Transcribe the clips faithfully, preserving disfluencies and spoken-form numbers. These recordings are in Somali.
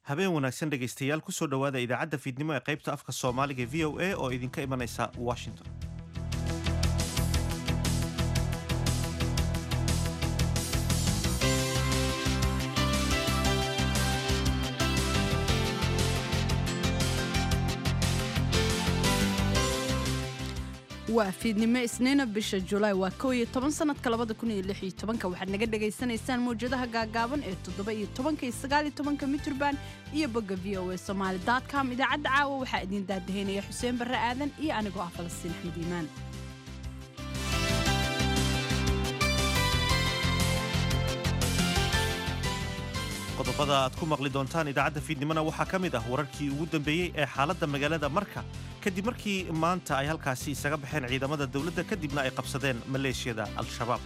Habeen wanaagsan, dhegaystayaal. Kusoo dhowaada idaacadda fiidnimo ee qaybta afka Soomaaliga V O A oo idinka imanaysa Washington. Waa fiidnimo Isniina, bisha Julaay waa kow iyo toban, sanadka labada kun iyo lix iyo tobanka. Waxaad naga dhagaysanaysaan mawjadaha gaagaaban ee toddoba iyo tobanka iyo sagaal iyo tobanka mitirban iyo bogga V O A Somali com. Idaacadda caawa waxaa idiin daadaheynaya Xuseen Barre Aadan iyo anigoo ah Falastiin Axmed Iimaan. Qodobada aad ku maqli doontaan idaacadda fiidnimona waxaa ka mid ah wararkii ugu dambeeyey ee xaaladda magaalada Marka kadib markii maanta ay halkaasi isaga baxeen ciidamada dowladda, kadibna ay qabsadeen maleeshiyada Al-Shabaab.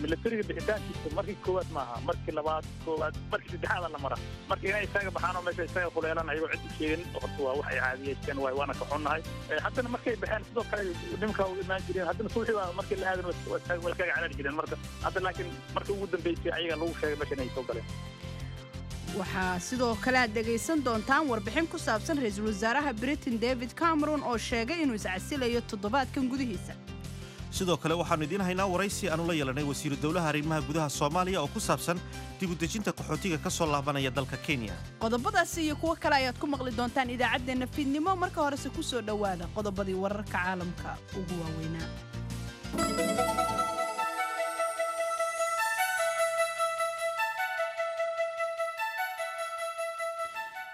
Milatariga bixitaankiisa markii koowaad maaha, markii labaad, koowaad, markii saddexaada la mara. Marka inay isaga baxaan oo meesha isaga kuleelaan ayagoo cid u sheegin, horta waa wax ay caadiyeysteen waay, waana ka xunnahay. Haddana markay baxeen sidoo kale nimanka u imaan jireen, haddana suuxii baa markii la aadan waa iskaga carari jireen. Marka hadda laakiin markii ugu dambeysay ayaga lagu sheegay meesha inay soo galeen. Waxaa sidoo kale aad dhegaysan doontaan warbixin ku saabsan ra-iisul wasaaraha Britain David Cameron oo sheegay inuu iscasilayo toddobaadkan gudihiisa. Sidoo kale waxaannu idiin haynaa waraysi aanu la yeelanay wasiiru dowlaha arrimaha gudaha Soomaaliya oo ku saabsan dib u dejinta qaxootiga ka soo laabanaya dalka Kenya. Qodobadaasi iyo kuwo kale ayaad ku maqli doontaan idaacaddeenna fiidnimo. Marka horese ku soo dhowaada qodobadii wararka caalamka ugu waaweynaa.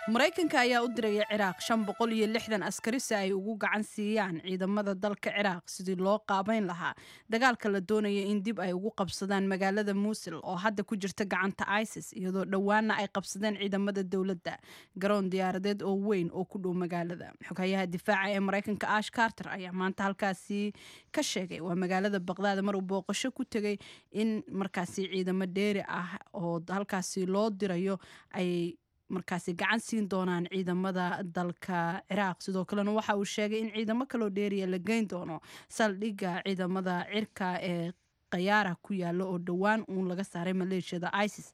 Maraykanka ayaa u diraya Ciraaq shan boqol iyo lixdan askari si ay ugu gacan siiyaan ciidamada dalka Ciraaq sidii loo qaabayn lahaa dagaalka la doonaya in dib ay ugu qabsadaan magaalada Muusil oo hadda ku jirta gacanta ISIS, iyadoo dhowaana ay qabsadeen ciidamada dowladda garoon diyaaradeed oo weyn oo ku dhow magaalada. Xoghayaha difaaca ee Maraykanka Ash Carter ayaa maanta halkaasi ka sheegay, waa magaalada Baqdaad mar uu booqasho ku tegay, in markaasi ciidamo dheeri ah oo halkaasi loo dirayo ay markaasi gacan siin doonaan ciidamada dalka Ciraaq. Sidoo kalena waxa uu sheegay in ciidamo kaloo dheeriya la geyn doono saldhigga ciidamada cirka ee Qayaara ku yaalo oo dhowaan uun laga saaray maleeshiyada ISIS.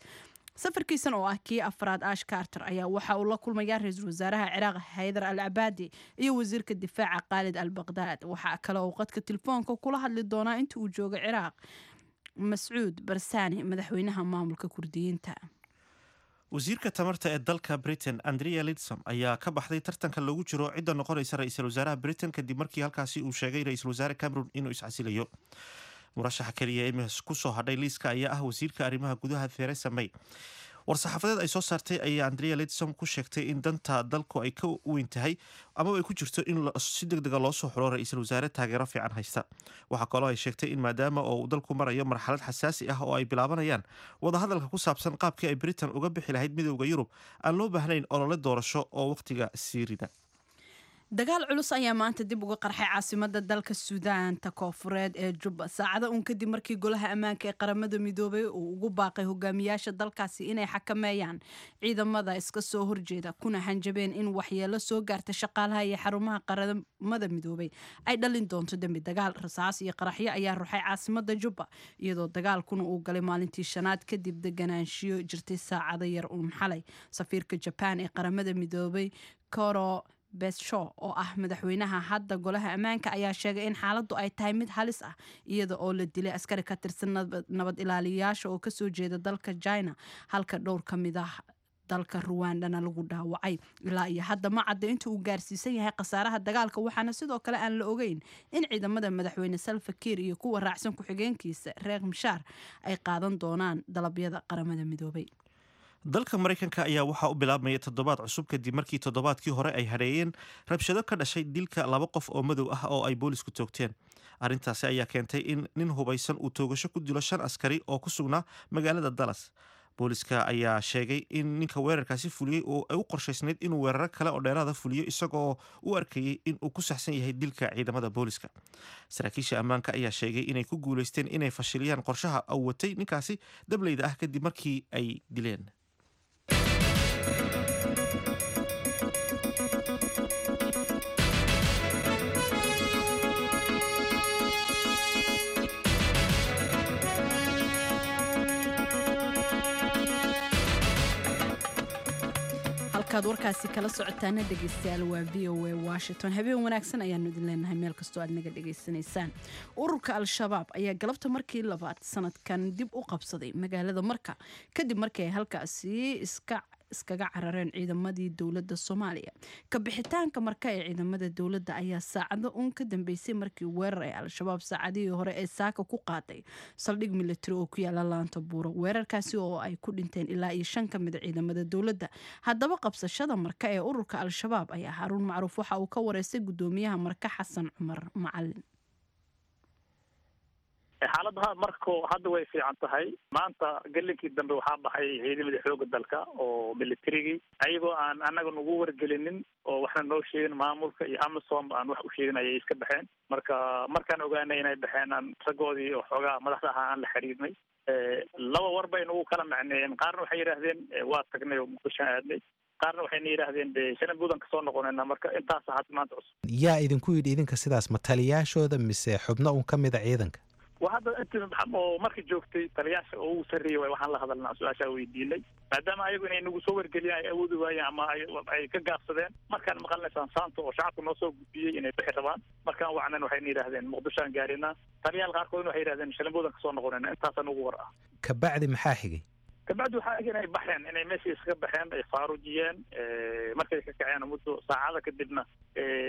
Safarkiisan oo ah kii afraad, Ash Carter ayaa waxa uu la kulmayaa ra-iisul wasaaraha Ciraaq Haydar al Cabaadi iyo wasiirka difaaca Khaalid al Baqdaad. Waxaa kale uu qadka telefoonka kula hadli doonaa inta uu joogo Ciraaq Mascuud Barsani, madaxweynaha maamulka Kurdiyiinta. Wasiirka tamarta ee dalka Britain Andrea Lidsom ayaa ka baxday tartanka loogu jiro cidda noqonaysa ra-iisul wasaaraha Britain, kadib markii halkaasi uu sheegay ra-iisul wasaare Cameron inuu iscasilayo. Murashaxa keliya ee ku soo hadhay liiska ayaa ah wasiirka arrimaha gudaha Theresa May. War-saxaafadeed ay soo saartay ayaa Andrea Lidsom ku sheegtay in danta dalku ay ka weyn tahay amaba ay ku jirto in si deg dega loo soo xulo ra-iisul wasaare taageero fiican haysta. Waxaa kaloo ay sheegtay in maadaama oo uu dalku marayo marxalad xasaasi ah oo ay bilaabanayaan wadahadalka ku saabsan qaabkii ay Britain uga bixi lahayd Midowda Yurub, aan loo baahnayn olole doorasho oo wakhtiga sii rida. Dagaal culus ayaa maanta dib uga qarxay caasimada dalka Suudaanta Koofureed ee Jubba, saacada uun kadib markii Golaha Ammaanka ee Qaramada Midoobay uu ugu baaqay hogaamiyaasha dalkaasi inay xakameeyaan ciidamada iska soo horjeeda, kuna hanjabeen in waxyeelo soo gaarta shaqaalaha iyo xarumaha Qaramada Midoobay ay dhalin doonto dembi dagaal. Rasaas iyo qaraxyo ayaa ruxay caasimada Jubba, iyadoo dagaalkuna uu galay maalintii shanaad kadib deganaanshiyo jirtay saacado yar uun xalay. Safiirka Jaban ee Qaramada Midoobay Koro Bessho, oo ah madaxweynaha hadda Golaha Ammaanka, ayaa sheegay in xaaladdu ay tahay mid halis ah, iyada oo la dilay askari ka tirsan nabad ilaaliyayaasha oo kasoo jeeda dalka China, halka dhowr ka mid ah dalka Ruwandana lagu dhaawacay. Ilaa iyo hadda ma cadda inta uu gaarsiisan yahay khasaaraha dagaalka, waxaana sidoo kale aan la ogeyn in ciidamada madaxweyne Salva Kiir iyo kuwa raacsan ku-xigeenkiisa Riek Machar ay qaadan doonaan dalabyada Qaramada Midoobay. Dalka Maraykanka ayaa waxaa u bilaabmaya toddobaad cusub kadib markii toddobaadkii hore ay hadheeyeen rabshado ka dhashay dilka laba qof oo madow ah oo ay boolisku toogteen. Arrintaasi ayaa keentay in nin hubaysan uu toogasho ku dilo shan askari oo ku sugnaa magaalada Dallas. Booliska ayaa sheegay in ninka weerarkaasi fuliyey oo ay u qorshaysnayd inuu weeraro kale oo dheeraada fuliyo, isagoo u arkayay in uu ku saxsan yahay dilka ciidamada booliska. Saraakiisha ammaanka ayaa sheegay inay ku guuleysteen inay fashiliyaan qorshaha uu watay ninkaasi dableyda ah kadib markii ay dileen. Halkaad warkaasi kala socotaana, dhegeystayaal, waa V O A Washington. Habeen wanaagsan ayaanu idin leenahay meel kastoo aad naga dhegeysanaysaan. Ururka Al-Shabaab ayaa galabta markii labaad sanadkan dib u qabsaday magaalada Marka, kadib markii ay halkaasi iska iskaga carareen ciidamadii dowladda Soomaaliya. Ka bixitaanka Marka ee ciidamada dowladda ayaa saacado uun ka dambeysay markii weerar ay Al-Shabaab saacadihii hore ee saaka ku qaaday saldhig militari oo ku yaala Laanta Buuro, weerarkaasi oo ay ku dhinteen ilaa iyo shan ka mid ciidamada dowladda. Haddaba, qabsashada Marka ee ururka Al-Shabaab ayaa Haruun Macruuf waxa uu ka wareystay gudoomiyaha Marka, Xasan Cumar Macalin. Xaaladda marko hadda way fiican tahay. Maanta gelinkii dambe waxaa baxay ciidamadii xooga dalka oo militarigii, ayagoo aan annaga nagu wargelinin oo waxna noo sheegin, maamulka iyo AMISOM aan wax u sheegin ayay iska baxeen. Marka markaan ogaanay inay baxeen, aan raggoodii oo xoogaa madaxda ahaa aan la xiriirnay. Laba war bay nagu kala macneeyeen. Qaarna waxay yidhaahdeen waa tagnay oo Muqdishoan aadnay, qaarna waxayna yidhaahdeen de Shalambuudan kasoo noqonayna. Marka intaasa hadda maanta cusub. Yaa idinku yidhi idinka sidaas? Ma taliyaashooda mise xubno un ka mid a ciidanka? Waa hadda inti oo marka joogtay taliyaasha oo ugu sarreeyay waay. Waxaan la hadalnaa, su-aashaa weydiinay, maadaama ayagu inay nagu soo wargeliyaan ay awoodi waayeen ama ay ay ka gaabsadeen. Markaan maqalnay saansaanta oo shacabka noo soo gudbiyey inay bixi rabaan, markaan wacnan waxayna yidhahdeen Muqdishoan gaarina. Taliyaal qaarkoodna waxay yidhahdeen Shalambuudan kasoo noqonayna. Intaasaa nagu war ah. Kabacdi maxaa xigay? Kabacdi waxaa eg inay baxeen, inay meeshii iskaga baxeen, ay faarujiyeen. Markay ka kaceen muddo saacada kadibna,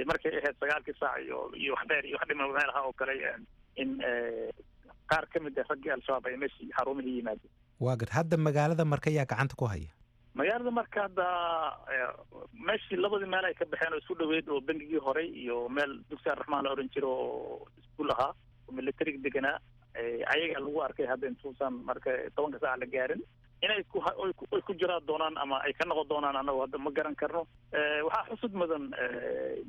markay ahayd sagaalkii saac iyo iyo wax dheer iyo wax dhima meel ahaa oo kale, in qaar ka mid ah raggii Al-Shabaab ay meeshii xarumihii yimaadeen. Waa gart. Hadda magaalada Marka yaa gacanta ku haya? Magaalada marka hadda meeshii labadii meel ay ka baxeen oo isku dhaweyd, oo bengigii horey iyo meel Dugsi Arraxmaan la oran jiro oo iskuul ahaa oo militariga deganaa, ayaga lagu arkay hadda intuusan marka tobanka saac la gaarin. Inay ku ay ku jiraan doonaan ama ay ka noqon doonaan, annagu hadda ma garan karno. Waxaa xusud mudan,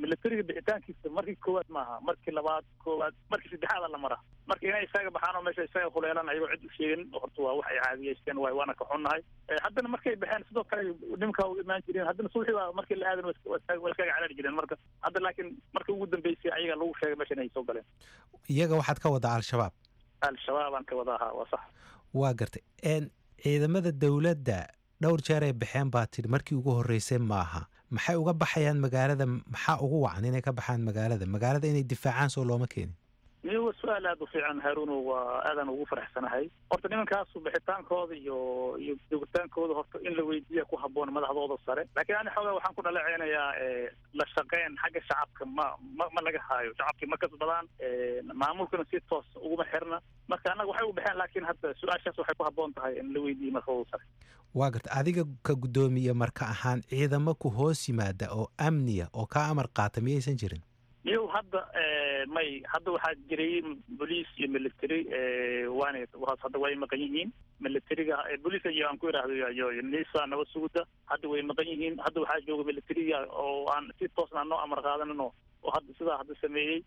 militariga bixitaankiisa markii koowaad maaha, markii labaad, koowaad, markii saddexaada la maraa. Marka inay isaga baxaan oo meesha isaga kuleelaan ayagoo cid u sheegin, horta waa wax ay caadiyeysteen waay, waana ka xunnahay. Haddana markay baxeen sidoo kale nimanka u imaan jireen. Haddana subaxii waa markii la aadan waa iskaga caraari jireen. Marka hadda laakiin markii ugu dambeysay ayaga lagu sheegay meesha inay soo galeen. Iyaga waxaad ka wadaa Al-Shabaab? Al-Shabaab aan ka wadaa, ha, waa sax. Waa gartay. Ciidamada dowladda dhowr jeer ay baxeen baa tidhi, markii ugu horreysay maaha. Maxay uga baxayaan magaalada? Maxaa ugu wacan inay ka baxaan magaalada? Magaalada inay difaacaan soo looma keenin? Niyo, waa su-aal aada u fiican, Haaruno. Waa aadaan ugu faraxsanahay. Horta nimankaasu bixitaankooda iyo iyo joogitaankooda horta in la weydiiya ku habboon madaxdooda sare, laakiin ani xoogaa waxaan ku dhaleceynayaa la shaqeyn xagga shacabka ma ma ma laga haayo. Shacabkii ma kasbadaan, maamulkuna si toos uguma xirna. Marka annaga waxay u baxeen, laakiin hadda su-aashaas waxay ku habboon tahay in la weydiiyo madaxdooda sare. Waa garta. Adiga ka guddoomiye Marka ahaan, ciidamo ku hoos yimaada oo amniya oo kaa amar qaata miyaysan jirin? Niyow, hadda may. Hadda waxaa jiray boliis iyo military, waana hadda way maqan yihiin militariga. Boliiska iyo aan ku idhaahdo iyo NISA, nabad sugudda, hadda way maqan yihiin. Hadda waxaa jooga militariga oo aan si toosna noo amar qaadanin oo hadda sidaa hadda sameeyey,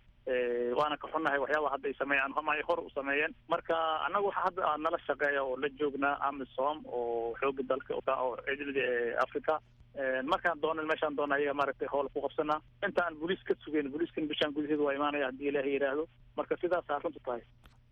waana ka xunnahay waxyaaba hadda ay sameeyaan ama ay hor u sameeyeen. Marka annaga waxa hadda nala shaqeeya oo la joognaa AMISOM oo xooga dalka oo ciidamada Africa. Markaan doonan meeshaan doona ayaga maaragtay howl ku qabsanaa inta aan booliis ka sugeyn. Booliiskan bishaan gudaheedu waa imaanaya haddii Ilaahay yidhaahdo. Marka sidaasaa runtu tahay.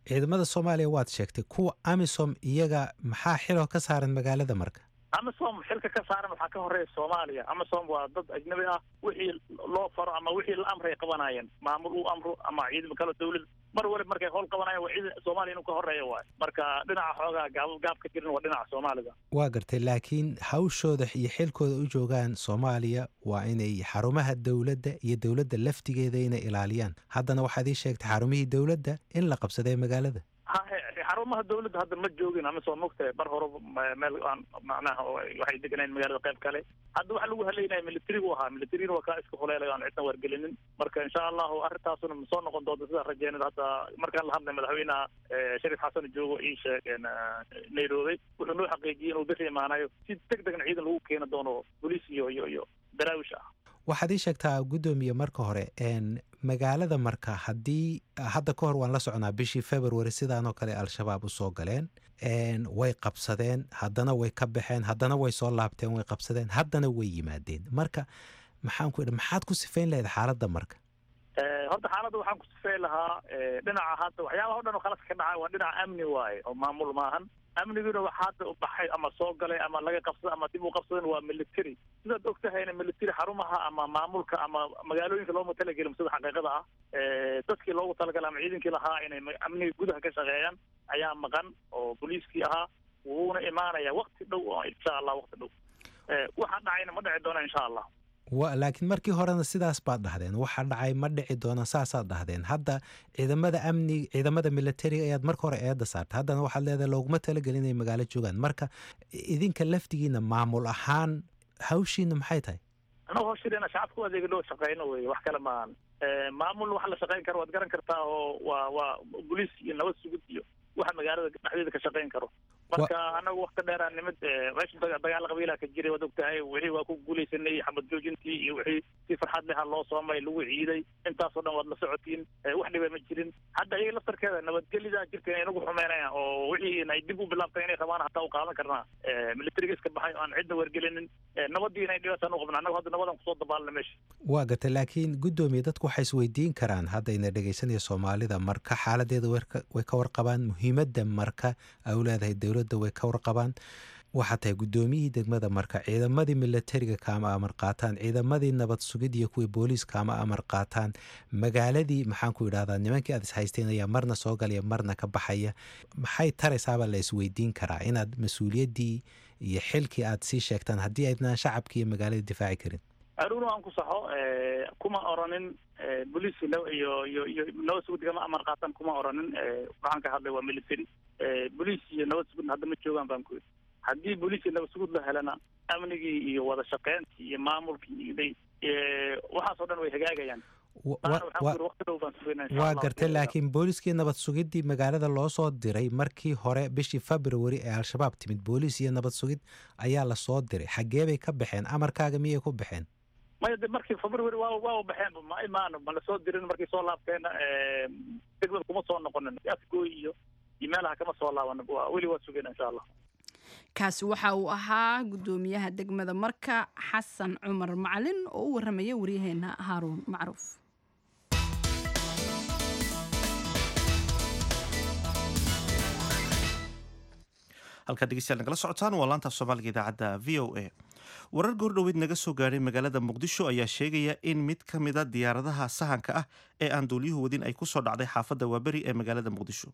Ciidamada Soomaaliya waad sheegtay. Kuwa AMISOM iyaga maxaa xiloo ka saaran magaalada Marka? AMISOM xilka ka saaran waxaa ka horeeya Soomaaliya. AMISOM waa dad ajnabi ah. Wixii loo faro ama wixii la amray qabanayeen, maamul uu amro ama ciidamo kale dawlad, mar waliba markay howl qabanayaan waa ciidan Soomaaliya inuu ka horeeya waay. Marka dhinaca xoogaa gaab gaab ka jirin waa dhinaca Soomaalida. Waa gartay, laakiin hawshooda iyo xilkooda u joogaan Soomaaliya waa inay xarumaha dowladda iyo dowladda laftigeeda inay ilaaliyaan. Haddana waxaad ii sheegtay xarumihii dowladda in la qabsaday magaalada. Hahe, xarumaha dawladda hadda ma joogin ama soo mogtahay mar hore meel aan macnaha waxay deganayn magaalada qayb kale. Hadda waxa lagu haleynaya militarigu ahaa, militariguna waa kaa iska huleelay aan cidna wargelinin. Marka insha Allahu arrintaasuna soo noqon doonta sidaa rajeynada. Hadda markaan la hadlay madaxweynaha Shariif Xasan joogo ii sheeg Nairobi, wuxuu noo xaqiijiyey inuu bixi imaanayo, si deg degna ciidan lagu keeni doono, boliis iyo iyo iyo daraawish ah. Waxaad ii sheegtaa, guddoomiye, marka hore magaalada Marka haddii hadda ka hor waan la soconaa bishii February sidaanoo kale Al-Shabaab u soo galeen, way qabsadeen, haddana way ka baxeen, haddana way soo laabteen, way qabsadeen, haddana way yimaadeen. Marka maxaan ku idhi, maxaad ku sifayn lahayd xaaladda Marka? Horta xaaladda waxaan ku sifayn lahaa dhinaca hadda waxyaabaha o dhan oo khaladka ka dhacay waa dhinaca amni waaye oo maamul maahan. Amniguna waxaa hadda u baxay ama soo galay ama laga qabsaday ama dib u qabsadan waa military. Sidaad og tahayna military xarumaha ama maamulka ama magaalooyinka looma talagelin sida xaqiiqada ah. Dadkii loogu talagalay ama ciidankii lahaa inay amniga gudaha ka shaqeeyaan ayaa maqan oo booliiskii ahaa, wuuna imaanaya waqti dhow oo insha Allah waqti dhow waxaa dhacayna ma dhici doona insha Allah. Wa laakiin markii horena sidaas baad dhahdeen, waxa dhacay ma dhici doona saasaad dhahdeen. Hadda ciidamada amni, ciidamada militariga ayaad marka hore eedda saartay, haddana waxaad leedahay looguma talagelin inay magaalo joogaan. Marka idinka laftigiina maamul ahaan hawshiina maxay tahay? Anagu hawshiina shacabka u adeega loo shaqeyno wey, wax kale maahan. Maamul wax la shaqeyn karo waad garan kartaa oo waa waa boliis iyo nabad sugid iyo waxa magaalada dhexdeeda ka shaqeyn karo. Marka anagu wakti dheeraan nimid meesha dagaal qabiilaa ka jiray waad ogtahay, wixii waa ku guuleysanay xabad joojintii iyo wixii si farxad leha loo soomay lagu ciiday, intaasoo dhan waad la socotiin, wax dhiba ma jirin. Hadda iyaga laftarkeeda nabadgelyada jirta inay nagu xumeynayaan oo wixii ay dib u bilaabtay inay rabaan hataa u qaadan karnaa. Militariga iska baxay oo aan cidna wargelinin, nabadii inay dhibaataan u qabna anagu hadda nabadan kusoo dabaalna meesha. Waa gartay, laakiin guddoomiye dadku waxay isweydiin karaan hadda ina dhegeysanaya Soomaalida marka xaaladeeda way ka warqabaan, muhiimadda marka ay u leedahay dowladda way ka warqabaan. Waxaa tahay guddoomiyihii degmada marka, ciidamadii militariga kaama amar qaataan, ciidamadii nabad sugid iyo kuwii booliis kaama amar qaataan, magaaladii maxaan ku idhahdaa nimankii aad ishaysteen ayaa marna soo galaya marna ka baxaya. Maxay taraysaabaa la isweydiin karaa inaad mas-uuliyaddii iyo xilkii aad sii sheegtaan haddii aydnaan shacabkii iyo magaalada difaaci karin? Aruun aan ku saxo, kuma oranin booliis iyo iyo iyo nabad sugid kama amar qaataan, kuma oranin. Waxaan ka hadlay waa military. Booliis iyo nabad sugidna hadda ma joogaan baan ku yidhi. Haddii booliis iyo nabad sugid la helana amnigii iyo wada shaqeyntii iyo maamulkii iyo waxaasoo dhan way hagaagayaan. Waa gartay, laakiin booliiskii nabad sugiddii magaalada loo soo diray markii hore bishii February ee Al-Shabaab timid, booliis iyo nabad sugid ayaa lasoo diray, xaggee bay ka baxeen? Amarkaaga miyay ku baxeen? Maya, de markii February waa waa baxeen ma imaano, ma lasoo dirin. Markii soo laabteena degmada kuma soo noqonin, afgooy iyo iyo meelaha kama soo laaban, weli waa sugayna insha Allah. Kaasi waxa uu ahaa guddoomiyaha degmada Marka Xasan Cumar Macalin oo u waramaya waryaheena Haaruun Macruuf. Halkaad dhegeystayaal nagala socotaan waa laanta Soomaaliga idaacadda V O A. Warar goordhoweyd naga soo gaadhay magaalada Muqdisho ayaa sheegaya in mid ka mid a diyaaradaha sahanka ah ee aan duuliyuhu wadin ay kusoo dhacday xaafadda Waaberi ee magaalada Muqdisho.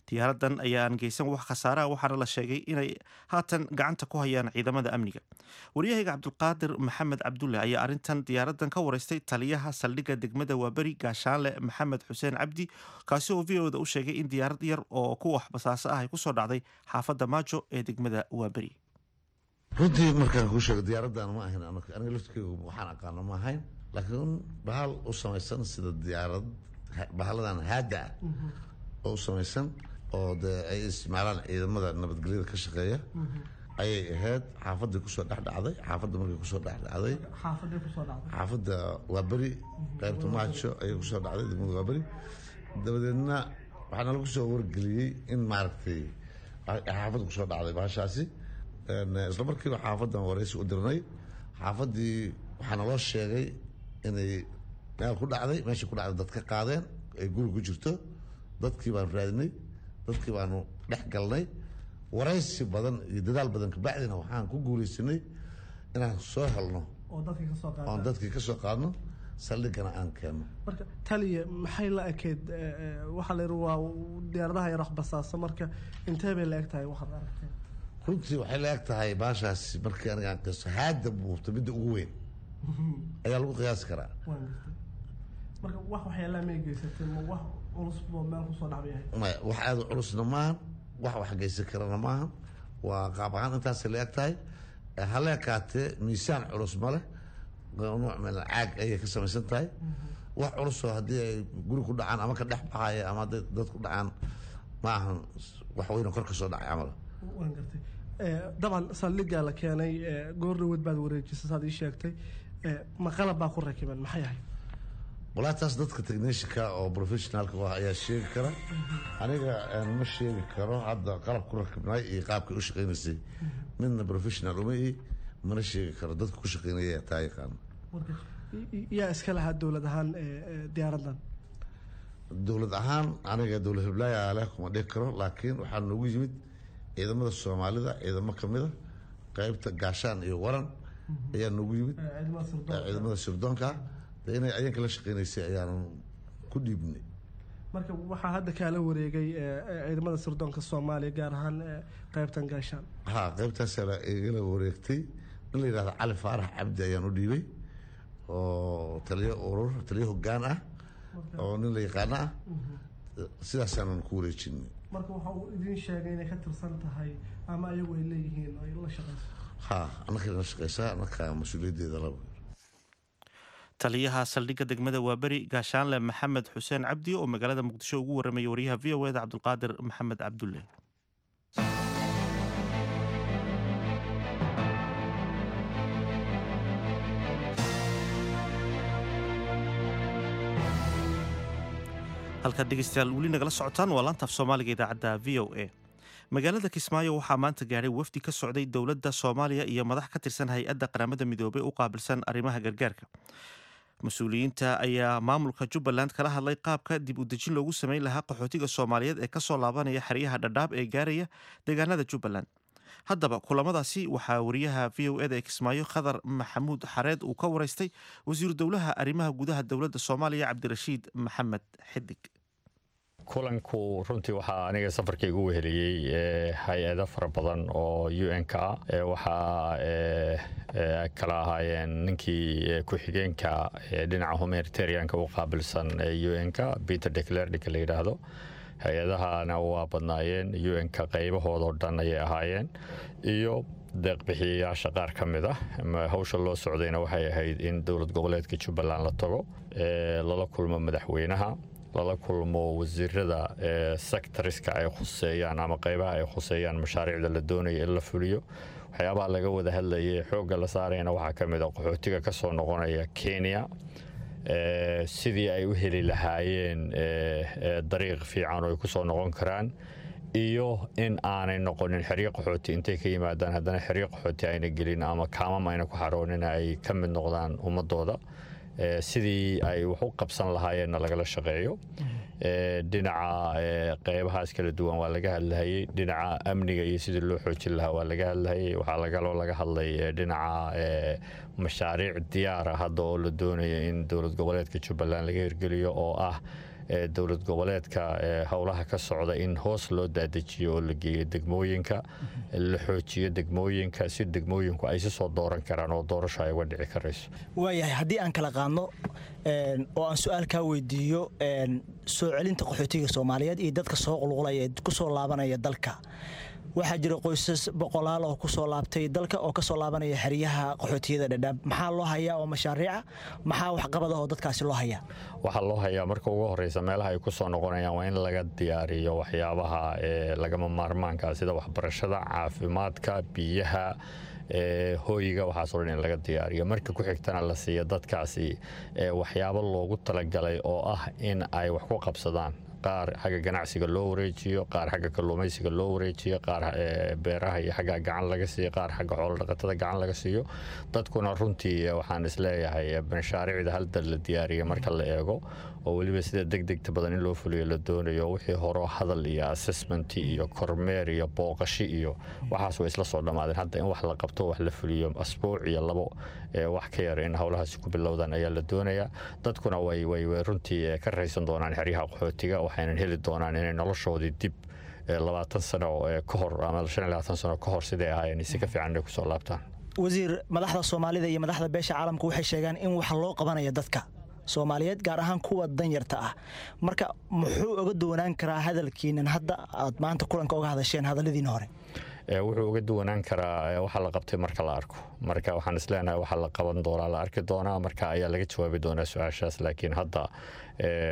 Diyaaradan ayaan geysan wax khasaaraha, waxaana la sheegay inay haatan gacanta ku hayaan ciidamada amniga. Waryahayga Cabdulqaadir Maxamed Cabdulle ayaa arrintan diyaaradan ka wareystay taliyaha saldhigga degmada Waaberi Gaashaanle Maxamed Xuseen Cabdi, kaasi oo V O da u sheegay in diyaarad yar oo ku wax basaasa ah ay kusoo dhacday xaafadda Maajo ee degmada Waaberi. Runtii markaan kuu sheego diyaaraddan ma ahayn aniga laftkeygu waxaan aqaano ma ahayn, laakiin bahal u samaysan sida diyaarad bahaladan haada ah oo u samaysan oo dee ay isticmaalaan ciidamada nabadgelyada ka shaqeeya ayay ahayd. Xaafadii kusoo dhex dhacday, xaafadda markay kusoo dhex dhacday xaafadda Waaberi qaybta Maajo ayay kusoo dhacday degmada Waaberi. Dabadeedna waxaana lagu soo wargeliyey in maaragtay xaafadda kusoo dhacday bahashaasi. Isla markiiba xaafaddan waraysi u dirnay, xaafaddii waxaana loo sheegay inay meel ku dhacday, meesha ku dhacday dad ka qaadeen ay guri ku jirto. Dadkii baanu raadinay, dadkii baanu dhex galnay, waraysi badan iyo dadaal badan kabacdina waxaan ku guuleysanay inaan soo helno oon dadkii ka soo qaadno, saldhigana aan keenno. Marka taliya maxay la ekeyd? Waxaa la yidhi waa diyaaradaha yar wax basaasa, marka intee bay la eg tahay waxaad aragteen? Runtii waxay la eg tahay baashaasi markii aniga aan qiyaso haada buubta midda ugu weyn ayaa lagu qiyaasi karaa. Marka wax waxyeelaa may geysatay, ma wax culus boo meel kusoo dhacbay ahayd? Maya, wax aada u culusna maahan, wax wax geysan karana maahan, waa qaab ahaan intaasay la eg tahay. Hala ekaatee miisaan culus ma leh, nooc meel caag ayay ka samaysan tahay. Wax culusoo haddii ay guri ku dhacaan ama ka dhex baxaya ama hadday dad ku dhacaan ma ahan wax weyn oo kor ka soo dhacay camal. Waan gartay. Dabcan saldhiggaa la keenay goor dhaweed baad wareejisay saad ii sheegtay, ma qalab baa ku rakiban maxay ahayd? Walaa taas dadka technicianka oo professionalka ah ayaa sheegi kara, aniga ma sheegi karo hadda qalab ku rakibnay iyo qaabkay u shaqeynaysay midna professional uma ihi, mana sheegi karo, dadka ku shaqeynaya taa yaqaano. Yaa iska lahaa dowlad ahaan diyaaraddan? Dowlad ahaan aniga dowlad hiblaayaa leh kuma dhihi karo, laakiin waxaa noogu yimid Ciidamada Soomaalida, ciidamo ka mida qaybta Gaashaan iyo Waran ayaa noogu yimid, ciidamada sirdoonka de inay ayanka la shaqeynaysay ayaanan ku dhiibnay. Marka waxaa hadda kaala wareegay ciidamada sirdoonka Soomaaliya, gaar ahaan qaybtan Gaashaan. Ha, qaybtaasaa igala wareegtay. In la yidhahdo Cali Faarax Cabdi ayaan u dhiibay, oo taliyo urur, taliyo hoggaan ah oo nin la yaqaano ah, sidaasaanan ku wareejinay. Marka waxa uu idiin sheegay inay ka tirsan tahay ama ayagu ay leeyihiin ay la shaqeyso? Ha, annaka la shaqeysaa, annaka mas-uuliyaddeeda laba. Taliyaha saldhigga degmada Waaberi, Gaashaanle Maxamed Xuseen Cabdi, oo magaalada Muqdisho ugu warramayay wariyaha V O eda Cabdulqaadir Maxamed Cabdulle. Halkaad dhegeystayaal weli nagala socotaan waa laantaaf Soomaaliga idaacadda V O A. Magaalada Kismaayo waxaa maanta gaadhay wafdi ka socday dowladda Soomaaliya iyo madax ka tirsan hay-adda Qaramada Midoobay u qaabilsan arrimaha gargaarka. Mas-uuliyiinta ayaa maamulka Jubbaland kala hadlay qaabka dib u dejin loogu sameyn lahaa qaxootiga Soomaaliyeed ee kasoo laabanaya xeryaha Dhadhaab ee gaaraya deegaanada Jubbaland. Haddaba kulamadaasi waxaa wariyaha V O eda ee Kismaayo Khadar Maxamuud Xareed uu ka waraystay wasiiru dowlaha arrimaha gudaha dowladda Soomaaliya, Cabdirashiid Maxamed Xidig. Kulanku runtii waxaa aniga safarka igu weheliyey hay-ado fara badan oo U N ka ah. Waxaa kala ahaayeen ninkii ku-xigeenka dhinaca humanitarianka u qaabilsan U N ka, Peter de Clercq ninka la yidhaahdo. Hay-adahana waa badnaayeen, U N ka qaybahoodoo dhan ayay ahaayeen, iyo deeqbixiyayaasha qaar ka mid ah. Hawsha loo socdayna waxay ahayd in dowlad goboleedka Jubbaland la tago, lala kulmo madaxweynaha, lala kulmo wasiirada sectoriska ay khuseeyaan ama qaybaha ay khuseeyaan mashaariicda la doonayo in la fuliyo. Waxyaabaha laga wada hadlayay xoogga la saarayna waxaa ka mid ah qaxootiga ka soo noqonaya Kenya, sidii ay u heli lahaayeen dariiq fiican oo ay ku soo noqon karaan, iyo in aanay noqonin xeryo qaxooti intay ka yimaadaan haddana xeryo qaxooti ayna gelin ama kaamam ayna ku xaroonin, ay ka mid noqdaan ummadooda, sidii ay wax u qabsan lahaayeenna lagala shaqeeyo. Dhinaca qeybahaas kala duwan waa laga hadlahayey, dhinaca amniga iyo sidii loo xoojin lahaa waa laga hadlahayey. Waxaa lagaloo laga hadlay dhinaca mashaariic diyaara hadda oo la doonayo in dowlad goboleedka Jubbaland laga hirgeliyo, oo ah dowlad goboleedka howlaha ka socda in hoos loo daadejiyo oo la geeyo degmooyinka, la xoojiyo degmooyinka si degmooyinku ay si soo dooran karaan oo doorasho ay uga dhici karayso. Waayahay, haddii aan kala qaadno oo aan su-aal kaa weydiiyo soo celinta qaxootiga Soomaaliyeed iyo dadka soo qulqulaya ee ku soo laabanaya dalka, waxaa jira qoysas boqolaal oo ku soo laabtay dalka oo ka soo laabanaya xeryaha qaxootiyada Dhadhaab. Maxaa loo hayaa oo mashaariica, maxaa waxqabad ah oo dadkaasi loo hayaa? Waxaa loo hayaa marka ugu horeysa meelaha ay ku soo noqonayaan waa in laga diyaariyo waxyaabaha lagama maarmaanka, sida waxbarashada, caafimaadka, biyaha, hooyiga, waxaasoo dhan in laga diyaariyo. Marka ku xigtana la siiyo dadkaasi waxyaabo loogu talagalay oo ah in ay wax ku qabsadaan. Qaar xagga ganacsiga loo wareejiyo, qaar xagga kalluumaysiga loo wareejiyo, qaar beeraha iyo xagga gacan laga siiyo, qaar xagga xoolo dhaqatada gacan laga siiyo. Dadkuna runtii waxaan isleeyahay mashaariicda hal dal la diyaariyo marka la eego, oo weliba sida degdegta badan in loo fuliyo la doonayo, wixii horo hadal iyo assessment iyo kormeer iyo booqashi iyo waxaas way isla soo dhammaadeen. Hadda in wax la qabto, wax la fuliyo, asbuuc iyo labo wax ka yar in howlahaasi ku bilowdaan ayaa la doonayaa. Dadkuna way way runtii ka raysan doonaan xeryaha qaxootiga, waxaynan heli doonaan inay noloshoodii dib labaatan sano ka hor ama shan iyo labaatan sano ka hor siday ahaayeen si ka fiican inay kusoo laabtaan. Wasiir, madaxda Soomaalida iyo madaxda beesha caalamka waxay sheegaan in wax loo qabanayo dadka Soomaaliyeed, gaar ahaan kuwa danyarta ah. Marka muxuu uga duwanaan karaa hadalkiinan hadda aad maanta kulanka uga hadasheen hadalladiina hore? Wuxuu uga duwanaan karaa waxa la qabtay marka la arko. Marka waxaan isleenahay waxa la qaban doonaa la arki doonaa, marka ayaa laga jawaabi doonaa su-aashaas. Laakiin hadda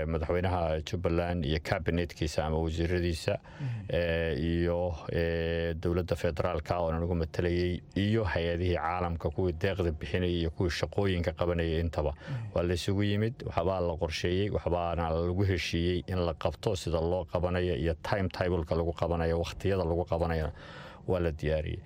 madaxweynaha Jubbaland iyo kabinetkiisa ama wasiiradiisa iyo dowladda federaalka oo nagu matalayay iyo hay-adihii caalamka kuwii deeqda bixinayay iyo kuwii shaqooyinka qabanayay intaba waa la isugu yimid. Waxbaa la qorsheeyey, waxbaana lagu heshiiyey in la qabto, sida loo qabanayo iyo time tableka lagu qabanayo, wakhtiyada lagu qabanayona waa la diyaariyey.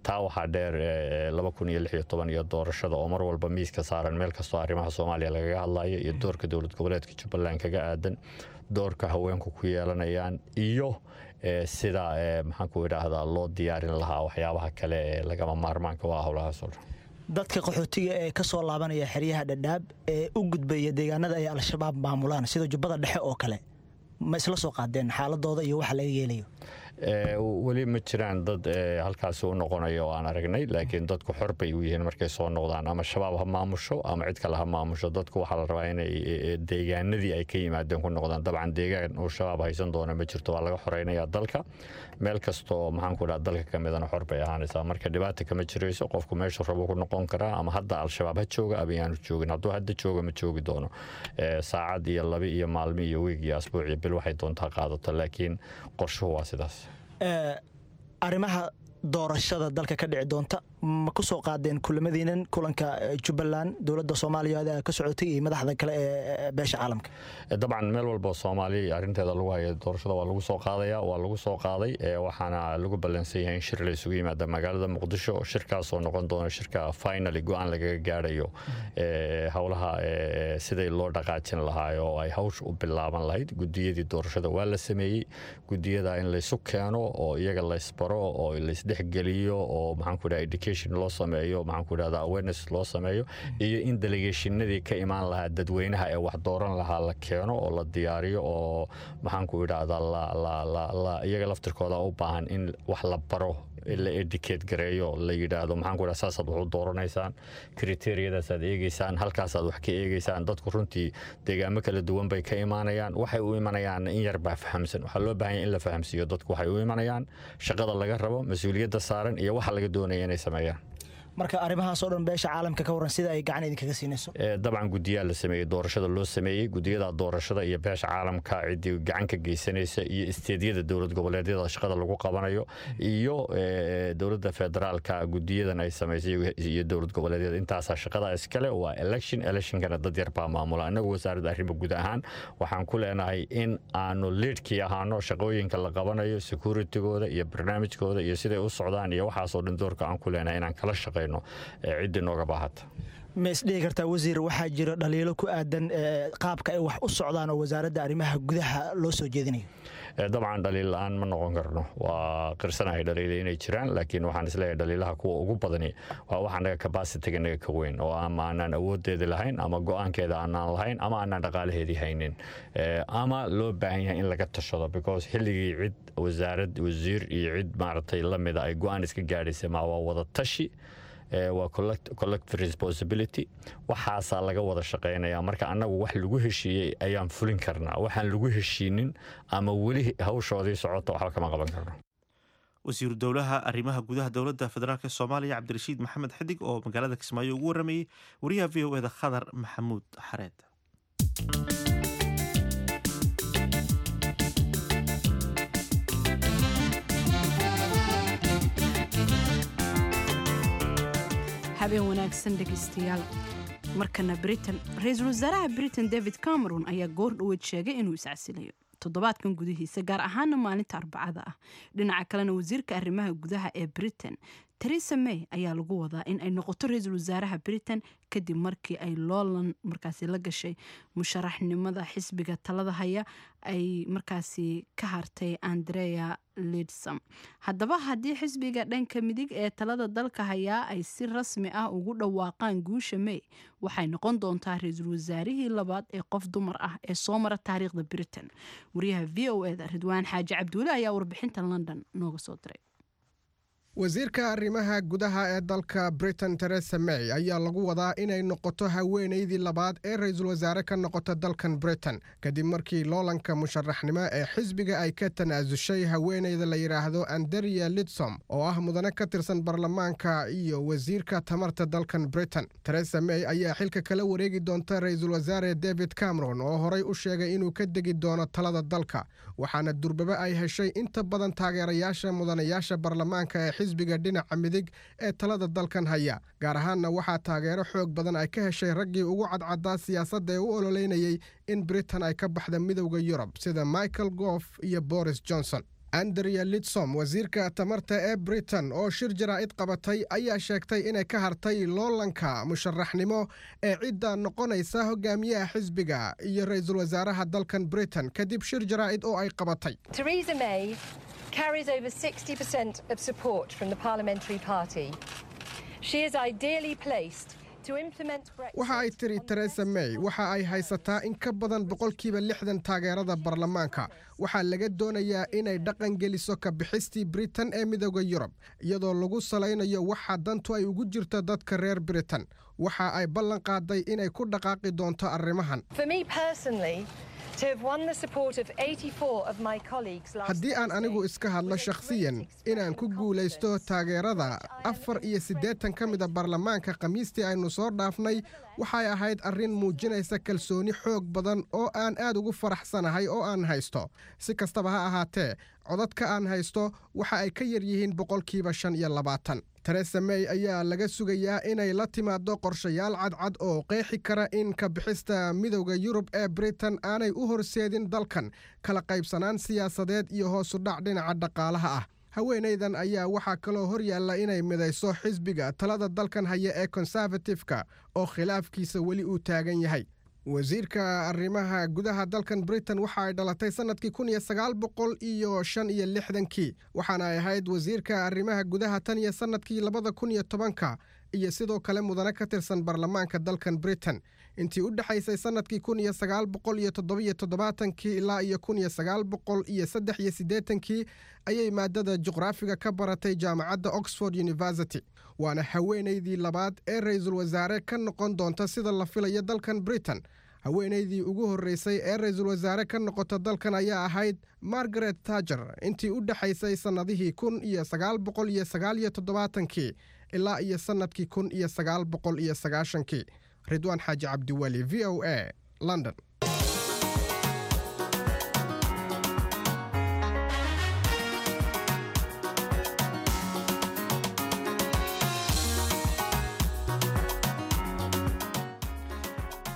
Taa waxaa dheer laba kun iyo lix iyo toban iyo doorashada oo mar walba miiska saaran meel kastoo arrimaha Soomaaliya lagaga hadlayo, iyo doorka dowlad goboleedka Jubbaland kaga aadan, doorka haweenku ku yeelanayaan, iyo Sida maxaan ku idhaahdaa loo diyaarin lahaa waxyaabaha kale ee lagama maarmaanka waa howlahaas oo dhan. Dadka qaxootiga ee ka soo laabanaya xeryaha Dhadhaab ee u gudbaya deegaanada ay Al-Shabaab maamulaan sida Jubbada Dhexe oo kale, ma isla soo qaadeen xaaladooda iyo waxa laga yeelayo? Weli ma jiraan dad halkaasi u noqonayo oo aan aragnay, laakiin dadku xor bay u yihiin markay soo noqdaan, ama Shabaab ha maamusho ama cid kale ha maamusho. Dadku waxaa la rabaa inay deegaanadii ay ka yimaadeen ku noqdaan. Dabcan deegaan uu Shabaab haysan doono ma jirto, waa laga xoreynayaa dalka. Meel kastoo maxaan ku dhaha dalka ka midana xor bay ahaanaysaa. Marka dhibaata kama jirayso, qofku meeshu rabo ku noqon karaa, ama hadda Al-Shabaab ha jooga ama yaanu joogin. Hadduu hadda jooga, ma joogi doono saacad iyo laba iyo maalmo iyo wiig iyo asbuuc iyo bil, waxay doontaa qaadato, laakiin qorshuhu waa sidaas. Arrimaha doorashada dalka ka dhici doonta ma ku soo qaadeen kulamadiinan, kulanka Jubbaland, dowladda Soomaaliya ka socotay iyo madaxda kale ee beesha caalamka? Dabcan meel walba Soomaaliya arrinteeda lagu hayo doorashada waa lagu soo qaadaya, waa lagu soo qaaday. Waxaana lagu ballansan yahay in shir la isugu yimaada magaalada Muqdisho, shirkaasoo noqon doona shirka finally go-aan lagaga gaadhayo howlaha siday loo dhaqaajin lahaa oo ay hawsha u bilaaban lahayd. Gudiyadii doorashada waa la sameeyey. Gudiyada in laysu keeno oo iyaga laysbaro oo laysdhexgeliyo oo maxaan ku dhaha education loo sameeyo, maxaan ku dhahda awareness loo sameeyo, iyo in delegationadii ka imaan lahaa dadweynaha ee wax dooran lahaa la keeno oo la diyaariyo, oo maxaan ku idhahdaa la la la la iyaga laftirkooda u baahan in wax la baro, la educate gareeyo, la yidhaahdo maxaan ku idhaha saasaad wax u dooranaysaan, criteriadaasaad eegeysaan, halkaasaad wax ka eegeysaan. Dadku runtii deegaamo kala duwan bay ka imaanayaan. Waxay u imanayaan in yar baa fahamsan. Waxaa loo baahan yahay in la fahamsiiyo dadku waxay u imanayaan, shaqada laga rabo, mas-uuliyadda saaran iyo waxa laga doonaya inay sameeyaan. Marka arrimahaas oo dhan beesha caalamka ka waran, sida ay gacan idinkaga siinayso? Dabcan guddiyaa la sameeyey doorashada loo sameeyey. Gudiyada doorashada iyo beesha caalamka ciddii gacan ka geysanaysa iyo isteedyada dowlad goboleedyada shaqada lagu qabanayo iyo dowladda federaalka gudiyadan ay samaysay iyo dowlad goboleedyada, intaasaa shaqada iskale. Waa election, electionkana dad yar baa maamula. Innagu wasaaradda arrimo guud ahaan waxaan ku leenahay in aanu leadkii ahaano shaqooyinka la qabanayo, securitygooda iyo barnaamijkooda iyo siday u socdaan iyo waxaasoo dhan. Doorka aan ku leenahay inaan kala shaqeyno ciddii nooga baahata. Ma isdhihi kartaa, wasiir, waxaa jira dhaliilo ku aadan qaabka ay wax u socdaan oo wasaaradda arrimaha gudaha loo soo jeedinayo? Dabcan dhaliil la-aan ma noqon karno. Waa qirsanahay dhaliila inay jiraan, laakiin waxaan isleeyahay dhaliilaha kuwa ugu badani waa waxa naga capacity-ga naga ka weyn, oo ama aanaan awoodeedi lahayn, ama go-aankeeda aanaan lahayn, ama aanaan dhaqaalaheedii haynin, ama loo baahan yahay in laga tashado, because xilligii cid wasaarad, wasiir iyo cid maaragtay lamida ay go-aan iska gaadhaysa ma waa wada tashi, waa collective responsibility. Waxaasaa laga wada shaqeynaya. Marka annagu wax lagu heshiiyey ayaan fulin karnaa. Waxaan lagu heshiinin ama weli hawshoodii socota waxba kama qaban karno. Wasiiru dowlaha arrimaha gudaha dowladda federaalk Soomaaliya Cabdirashiid Maxamed Xidig oo magaalada Kismaayo ugu waramayey wariyaha V O E da Khadar Maxamuud Xareed. Habeen wanaagsan, dhegeystayaal. Markana Britain. Ra-iisul wasaaraha Britain David Cameron ayaa goor dhoweed sheegay inuu iscasilayo toddobaadkan gudihiisa, gaar ahaana maalinta Arbacada ah. Dhinaca kalena, wasiirka arrimaha gudaha ee Britain Theresa May ayaa lagu wadaa in ay noqoto ra-iisul wasaaraha Britain kadib markii ay loolan markaasi la gashay musharaxnimada xisbiga talada haya ay markaasi ka hartay Andrea Leadsom. Haddaba haddii xisbiga dhanka midig ee talada dalka hayaa ay si rasmi ah ugu dhawaaqaan guusha May, waxay noqon doontaa ra-iisul wasaarihii labaad ee qof dumar ah ee soo mara taariikhda Britain. Wariyaha V O E da Ridwaan Xaaji Cabduule ayaa warbixinta London nooga soo diray. Wasiirka arrimaha gudaha ee dalka Britain Theresa May ayaa lagu wadaa inay noqoto haweenaydii labaad ee ra-iisul wasaare ka noqota dalkan Britain, kadib markii loolanka musharaxnimo ee xisbiga ay ka tanaasushay haweenayda la yidhaahdo Andrea Leadsom, oo ah mudane ka tirsan baarlamaanka iyo wasiirka tamarta dalkan Britain. Theresa May ayaa xilka kala wareegi doonta ra-iisul wasaare David Cameron, oo horey u sheegay inuu ka degi doono talada dalka, waxaana durbaba ay heshay inta badan taageerayaasha mudanayaasha baarlamaanka ee xisbiga dhinaca midig ee talada dalkan haya. Gaar ahaanna waxaa taageero xoog badan ay ka heshay raggii ugu cadcadaa siyaasadda ee u ololeynayay in Britain ay ka baxda Midowda Yurub, sida Michael Gove iyo Boris Johnson. Andrea Leadsom, wasiirka tamarta ee Britain, oo shir jaraa'id qabatay ayaa sheegtay inay ka hartay loolanka musharaxnimo ee cidda noqonaysa hogaamiyaha xisbiga iyo ra-iisul wasaaraha dalkan Britain kadib shir jaraa'id oo ay qabatay. Theresa May carries over sixty percent of support from the parliamentary party. She is ideally placed to implement Brexit. Waxa ay tiri Teresa May waxa ay haysataa in ka badan boqolkiiba lixdan taageerada baarlamaanka. Waxaa laga doonayaa inay dhaqan geliso ka bixistii Britain ee Midowga Yurub, iyadoo lagu salaynayo waxa dantu ay ugu jirto dadka reer Britain. Waxa ay ballan qaaday inay ku dhaqaaqi doonto arrimahan. For me personally, to have won the support of eighty-four of my colleagues last Haddii aan anigu iska hadlo shakhsiyan, inaan ku guulaysto taageerada afar iyo siddeetan ka mida baarlamaanka Khamiistii aynu soo dhaafnay waxay ahayd arrin muujinaysa kalsooni xoog badan oo aan aad ugu faraxsanahay oo aan haysto. Si kastaba ha ahaatee, codadka aan haysto waxa ay ka yar yihiin boqolkiiba shan iyo labaatan. Teresa May ayaa laga sugayaa inay la timaado qorshayaal cadcad oo qeexi kara in ka bixista Midowda Yurub ee Britain aanay u horseedin dalkan kala qaybsanaan siyaasadeed iyo hoos u dhac dhinaca dhaqaalaha ah. Haweenaydan ayaa waxaa kaloo hor yaalla inay midayso xisbiga talada dalkan haya ee Conservative-ka oo khilaafkiisa weli uu taagan yahay. Wasiirka arrimaha gudaha dalkan Britain waxa ay dhalatay sanadkii kun iyo sagaal boqol iyo shan iyo lixdankii, waxaana ay ahayd wasiirka arrimaha gudaha tan iyo sanadkii labada kun iyo tobanka, iyo sidoo kale mudane ka tirsan baarlamaanka dalkan Britain. Intii u dhexaysay sanadkii kun iyo sagaal boqol iyo toddobiyo toddobaatankii ilaa iyo kun iyo sagaal boqol iyo saddex iyo siddeetankii ayay maadada juqraafiga ka baratay jaamacadda Oxford University, waana haweenaydii labaad ee ra-iisul wasaare ka noqon doonta sida la filayo dalkan Britain. Haweenaydii ugu horreysay ee ra-iisul wasaare ka noqota dalkan ayaa ahayd Margaret Thatcher intii u dhexaysay sannadihii kun iyo sagaal boqol iyo sagaal iyo toddobaatankii ilaa iyo sannadkii kun iyo sagaal boqol iyo sagaashankii. Ridwaan Xaaji Cabdiweli, V O A, London.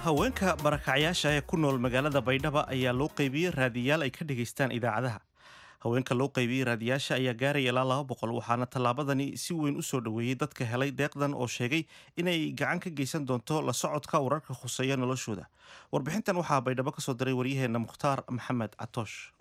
Haweenka barakacyaasha ee ku nool magaalada Baydhaba ayaa loo qaybiyey raadiyaal ay ka dhegaystaan idaacadaha. Haweenka loo qaybiyey raadiyaasha ayaa gaaraya ilaa laba boqol, waxaana tallaabadani si weyn u soo dhoweeyey dadka helay deeqdan oo sheegay inay gacan ka geysan doonto la socodka wararka khuseeya noloshooda. Warbixintan waxaa Baydhabo ka soo diray waryaheena Mukhtaar Maxamed Catoosh.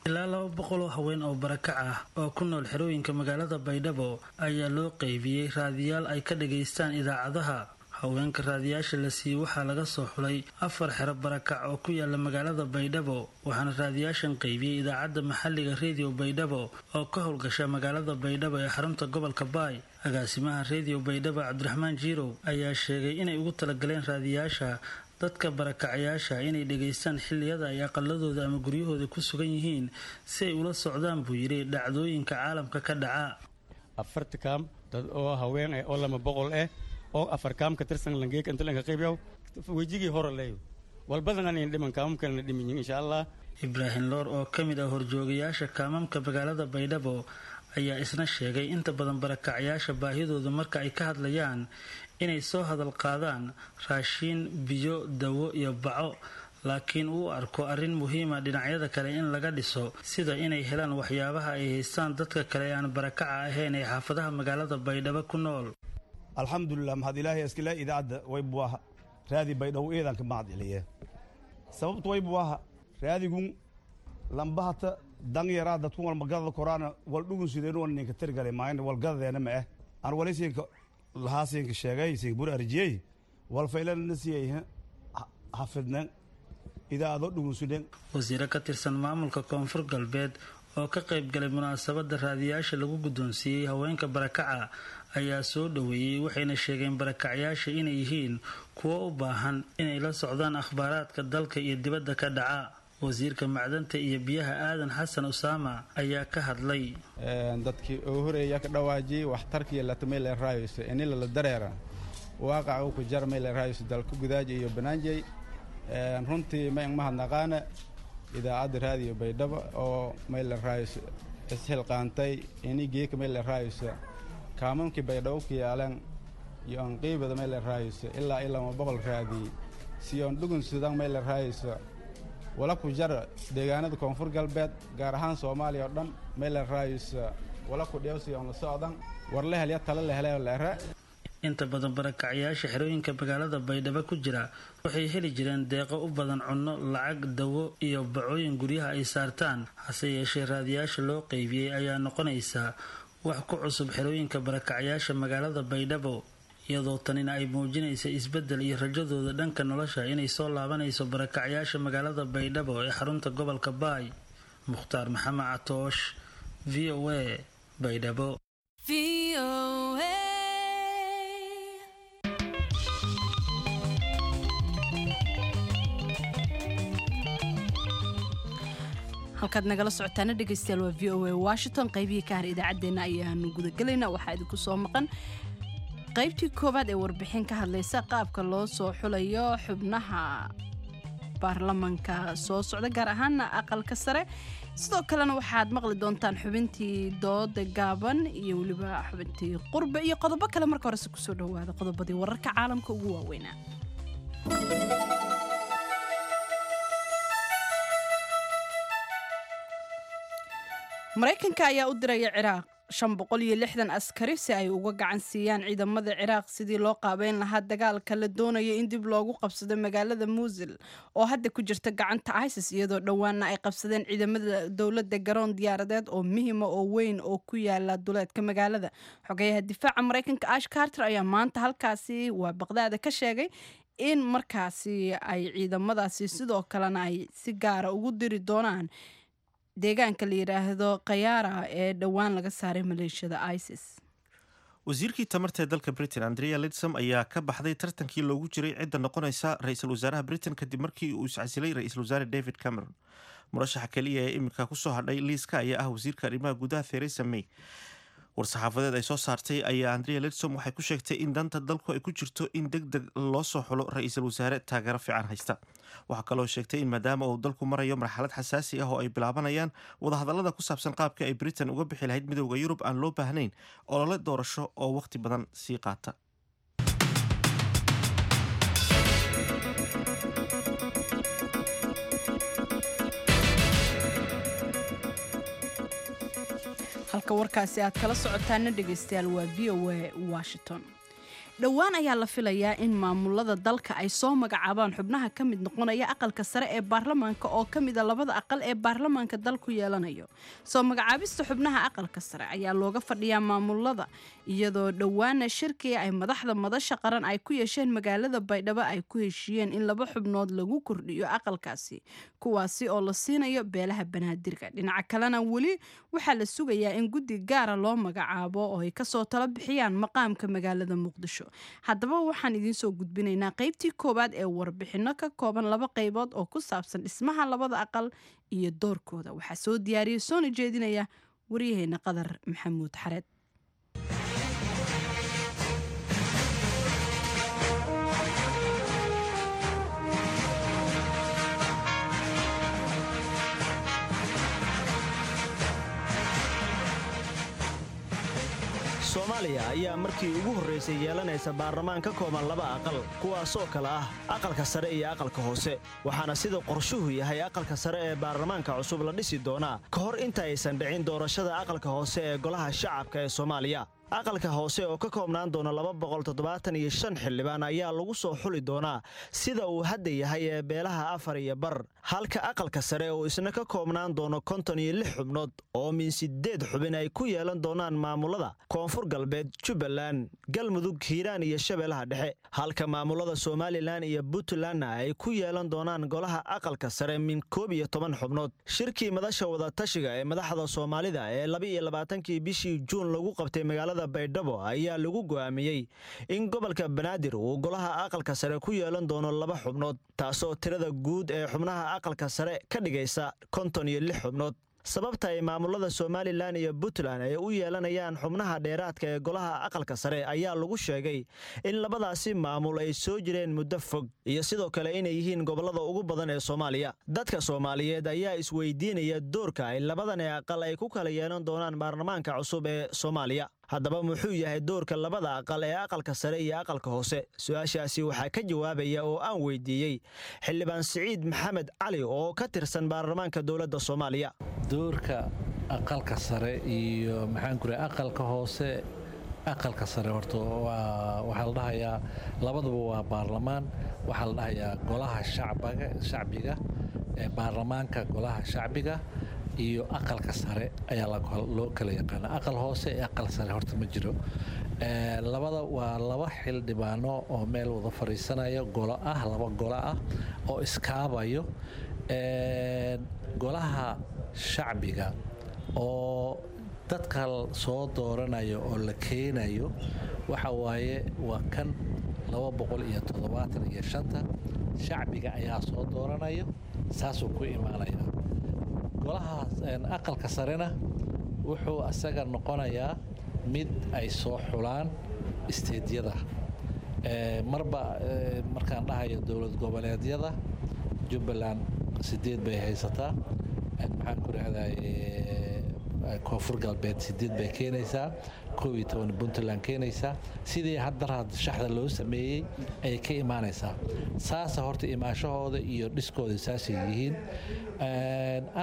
Ilaa laba boqol oo haween oo barakac ah oo ku nool xerooyinka magaalada Baydhabo ayaa loo qaybiyey raadiyaal ay ka dhegaystaan idaacadaha. Haweenka raadiyaasha la siiyey waxaa laga soo xulay afar xero barakac oo ku yaala magaalada Baydhabo, waxaana raadiyaashan qaybiyey idaacadda maxalliga Redio Baydhabo oo ka howlgasha magaalada Baydhabo ee xarunta gobolka Baay. Agaasimaha Redio Baydhabo Cabdiraxmaan Jiirow ayaa sheegay inay ugu talagaleen raadiyaasha dadka barakacayaasha inay dhegaystaan xilliyada ay aqaladooda ama guryahooda ku sugan yihiin si ay ula socdaan, buu yidhi, dhacdooyinka caalamka ka dhaca. Afarta kaam dad oo haween eh oo lama boqol eh oo afar kaam ka tirsan langeek inta lanka qaybiyow wejigii hore leeyo walbadan aan dhiman kaamamkalena dhimin insha Allah. Ibraahim Loor oo ka mid ah horjoogayaasha kaamamka magaalada Baydhabo ayaa isna sheegay inta badan barakacayaasha baahidooda marka ay ka hadlayaan inay soo hadal qaadaan raashiin, biyo, dawo iyo baco, laakiin uu arko arrin muhiima dhinacyada kale in laga dhiso, sida inay helaan waxyaabaha ay haystaan dadka kale ee aan barakaca ahayn ee xaafadaha magaalada Baydhabo ku nool. Alxamdulilah, mahad ilaahay iskale. Idaacadda waybuaha raadi Baydhabo eedanka mahad celiye. Sababtu waybuaha raadigun lambahata dan yaraa dadku walmagadada koraana wal dhugun sideen wal ninka tirgale maayn walgadadeena ma eh aan wali siinka lahaa siinka sheegay siinka bur arjiyey wal faylana siiyey hafidnen idaacado dhugun sideen. Wasiiro ka tirsan maamulka Koonfur Galbeed oo ka qayb galay munaasabada raadiyaasha lagu guddoonsiiyey haweenka barakaca ayaa soo dhoweeyey, waxayna sheegeen barakacyaasha inay yihiin kuwo u baahan inay la socdaan akhbaaraadka dalka iyo dibadda ka dhaca. Wasiirka macdanta iyo biyaha Aadan Xasan Usaama ayaa ka hadlay. Dadkii ugu horeeya ka dhawaajiyey waxtarkiiyo latmayl raayso inila la dareera waaqaca uu ku jarmayl raayso dalka gudaaji iyo banaanjey. Runtii ma mahadnaqaana idaacadda Raadiyo Baydhabo oo mayl raayso isxilqaantay ini geeka mayl raayso kaamamkii Baydhabo ku yaalan iyo anqiibada mayl raayso ilaa ilaa ma boqol raadiyey si oon dhugun sudan mayl raayso wala ku jar deegaanada Koonfur Galbeed, gaar ahaan Soomaaliya oo dhan mayl raayso wala ku dhiyawsi oon la socdan war la helya tala la helay la era. Inta badan barakacyaasha xerooyinka magaalada Baydhabo ku jira waxay heli jireen deeqo u badan cunno, lacag, dawo iyo bacooyin guryaha ay saartaan. Hase yeeshee raadiyaasha loo qeybiyey ayaa noqonaysa wax ku cusub xerooyinka barakacyaasha magaalada Baydhabo, iyadoo tanina ay muujinaysa isbeddel iyo rajadooda dhanka nolosha inay soo laabanayso barakacyaasha magaalada Baydhabo ee xarunta gobolka Baay. Mukhtaar Maxamed Catoosh, V O A, Baydhabo. Halkaad nagala socotaana dhegeystayaal waa V O A Washington. Qaybihii ka har idaacaddeenna ayaanu gudagelaynaa. Waxaa idinku soo maqan qaybtii koowaad ee warbixin ka hadlaysa qaabka loo soo xulayo xubnaha baarlamanka soo socda, gaar ahaana aqalka sare. Sidoo kalena waxaad maqli doontaan xubintii dooda gaaban iyo weliba xubintii qurbe iyo qodobo kale. Marka horese kusoo dhawaada qodobadii wararka caalamka ugu waaweynaa. Maraykanka ayaa u diraya Ciraaq shan boqol iyo lixdan askari si ay uga gacan siiyaan ciidamada Ciraaq sidii loo qaabeyn lahaa dagaalka la doonayo in dib loogu qabsado magaalada Muusil oo hadda ku jirta gacanta ISIS, iyadoo dhowaana ay qabsadeen ciidamada dowladda garoon diyaaradeed oo muhiima oo weyn oo ku yaala duleedka magaalada. Xogeyaha difaaca Maraykanka Ash Carter ayaa maanta halkaasi waa Baqdaada ka sheegay in markaasi ay ciidamadaasi sidoo kalena ay si gaara ugu diri doonaan deegaanka la yidhaahdo Khayaara ee dhowaan laga saaray maleeshiyada ISIS. Wasiirkii tamarta ee dalka Britain Andrea Lidsom ayaa ka baxday tartankii loogu jiray cidda noqonaysa ra-iisul wasaaraha Britain kadib markii uu iscasilay ra-iisul wasaare David Cameron. Murashaxa keliya ee iminka kusoo hadhay liiska ayaa ah wasiirka arrimaha gudaha Theresa May. War-saxaafadeed ay soo saartay ayaa Andrea Lidsom waxay ku sheegtay in danta dalku ay ku jirto in deg deg loo soo xulo ra-iisul wasaare taageero fiican haysta. Waxaa kaloo sheegtay in maadaama uu dalku marayo marxalad xasaasi ah oo ay bilaabanayaan wadahadallada ku saabsan qaabka ay Britain uga bixi lahayd midowda Yurub aan loo baahnayn olole doorasho oo wakhti badan sii qaata. Halka warkaasi aad kala socotaana dhegeystayaal waa V O A Washington. Dhowaan ayaa la filayaa in maamulada dalka ay soo magacaabaan xubnaha ka mid noqonaya aqalka sare ee baarlamaanka oo ka mid a labada aqal ee baarlamaanka dalku yeelanayo. Soo magacaabista xubnaha aqalka sare ayaa looga fadhiyaa maamulada, iyadoo dhowaana shirkii ay madaxda madasha qaran ay ku yeesheen magaalada Baydhabo ay ku heshiiyeen in laba xubnood lagu kordhiyo aqalkaasi, kuwaasi oo la siinayo beelaha Banaadirka. Dhinaca kalena weli waxaa la sugayaa in guddi gaara loo magacaabo oo ay kasoo tala bixiyaan maqaamka magaalada Muqdisho. Haddaba waxaan idiin soo gudbinaynaa qaybtii koowaad ee warbixinno ka kooban laba qaybood oo ku saabsan dhismaha labada aqal iyo doorkooda. Waxaa soo diyaariyey soona jeedinaya waryaheena Qadar Maxamuud Xareed. Soomaaliya ayaa markii ugu horraysay yeelanaysa baarlamaan ka kooban laba aqal, kuwaasoo kale ah aqalka sare iyo aqalka hoose. Waxaana sida qorshuhu yahay aqalka sare ee baarlamaanka cusub la dhisi doonaa ka hor inta aysan dhicin doorashada aqalka hoose ee golaha shacabka ee Soomaaliya. Aqalka hoose oo ka koobnaan doona laba boqol toddobaatan iyo shan xildhibaan ayaa lagu soo xuli doonaa sida uu hadda yahay ee beelaha afar iyo bar, halka aqalka sare uu isna ka koobnaan doono konton iyo lix xubnood oo min sideed xubin ay ku yeelan doonaan maamulada Koonfur Galbeed, Jubbaland, Galmudug, Hiiraan iyo Shabeellaha Dhexe, halka maamulada Somalilan iyo Puntlandna ay ku yeelan doonaan golaha aqalka sare min koob iyo toban xubnood. Shirkii madasha wadatashiga ee madaxda Soomaalida ee laba iyo labaatankii bishii Juun lagu qabtay magaalada Baydhabo ayaa lagu go'aamiyey in gobolka Banaadir uu golaha aqalka sare ku yeelan doono laba xubnood, taasoo tirada guud ee xubnaha aqalka sare ka dhigaysa konton iyo lix xubnood. Sababta ay maamulada Somalilan iyo Puntland ay u yeelanayaan xubnaha dheeraadka ee golaha aqalka sare ayaa lagu sheegay in labadaasi maamul ay soo jireen muddo fog iyo sidoo kale inay yihiin gobollada ugu badan ee Soomaaliya. Dadka Soomaaliyeed ayaa isweydiinaya doorka ay labadan aqal ay ku kala yeelan doonaan baarlamaanka cusub ee Soomaaliya. Haddaba muxuu yahay doorka labada aqal ee aqalka sare iyo aqalka hoose? Su-aashaasi waxaa ka jawaabaya oo aan weydiiyey Xildhibaan Siciid Maxamed Cali oo ka tirsan baarlamaanka dowladda Soomaaliya. Doorka aqalka sare iyo maxaan ku rahay aqalka hoose Aqalka sare horta waxaa la dhahayaa labaduba waa baarlamaan. Waxaa la dhahayaa golaha shacbiga shacbiga baarlamaanka golaha shacbiga iyo aqalka sare ayaa loo kala yaqaana. Aqal hoose iyo aqal sare horta ma jiro. Labada waa laba xildhibaano oo meel wada fadhiisanayo, golo ah, laba golo ah oo iskaabayo. Golaha shacbiga oo dadka soo dooranayo oo la keenayo waxa waaye waa kan laba boqol iyo toddobaatan iyo shanta shacbiga ayaa soo dooranayo, saasuu ku imaanaya. Golaha aqalka sarena wuxuu asaga noqonayaa mid ay soo xulaan isteedyada. Marba markaan dhahayo dowlad goboleedyada, Jubbaland sideed bay haysataa, maxaan ku rahday, Koonfur Galbeed sideed bay keenaysaa, koob iyo toban Puntland keenaysaa. Sidii haddaraad shaxda loo sameeyey ayay ka imaanaysaa. Saasa horta imaanshahooda iyo dhiskooda saasay yihiin.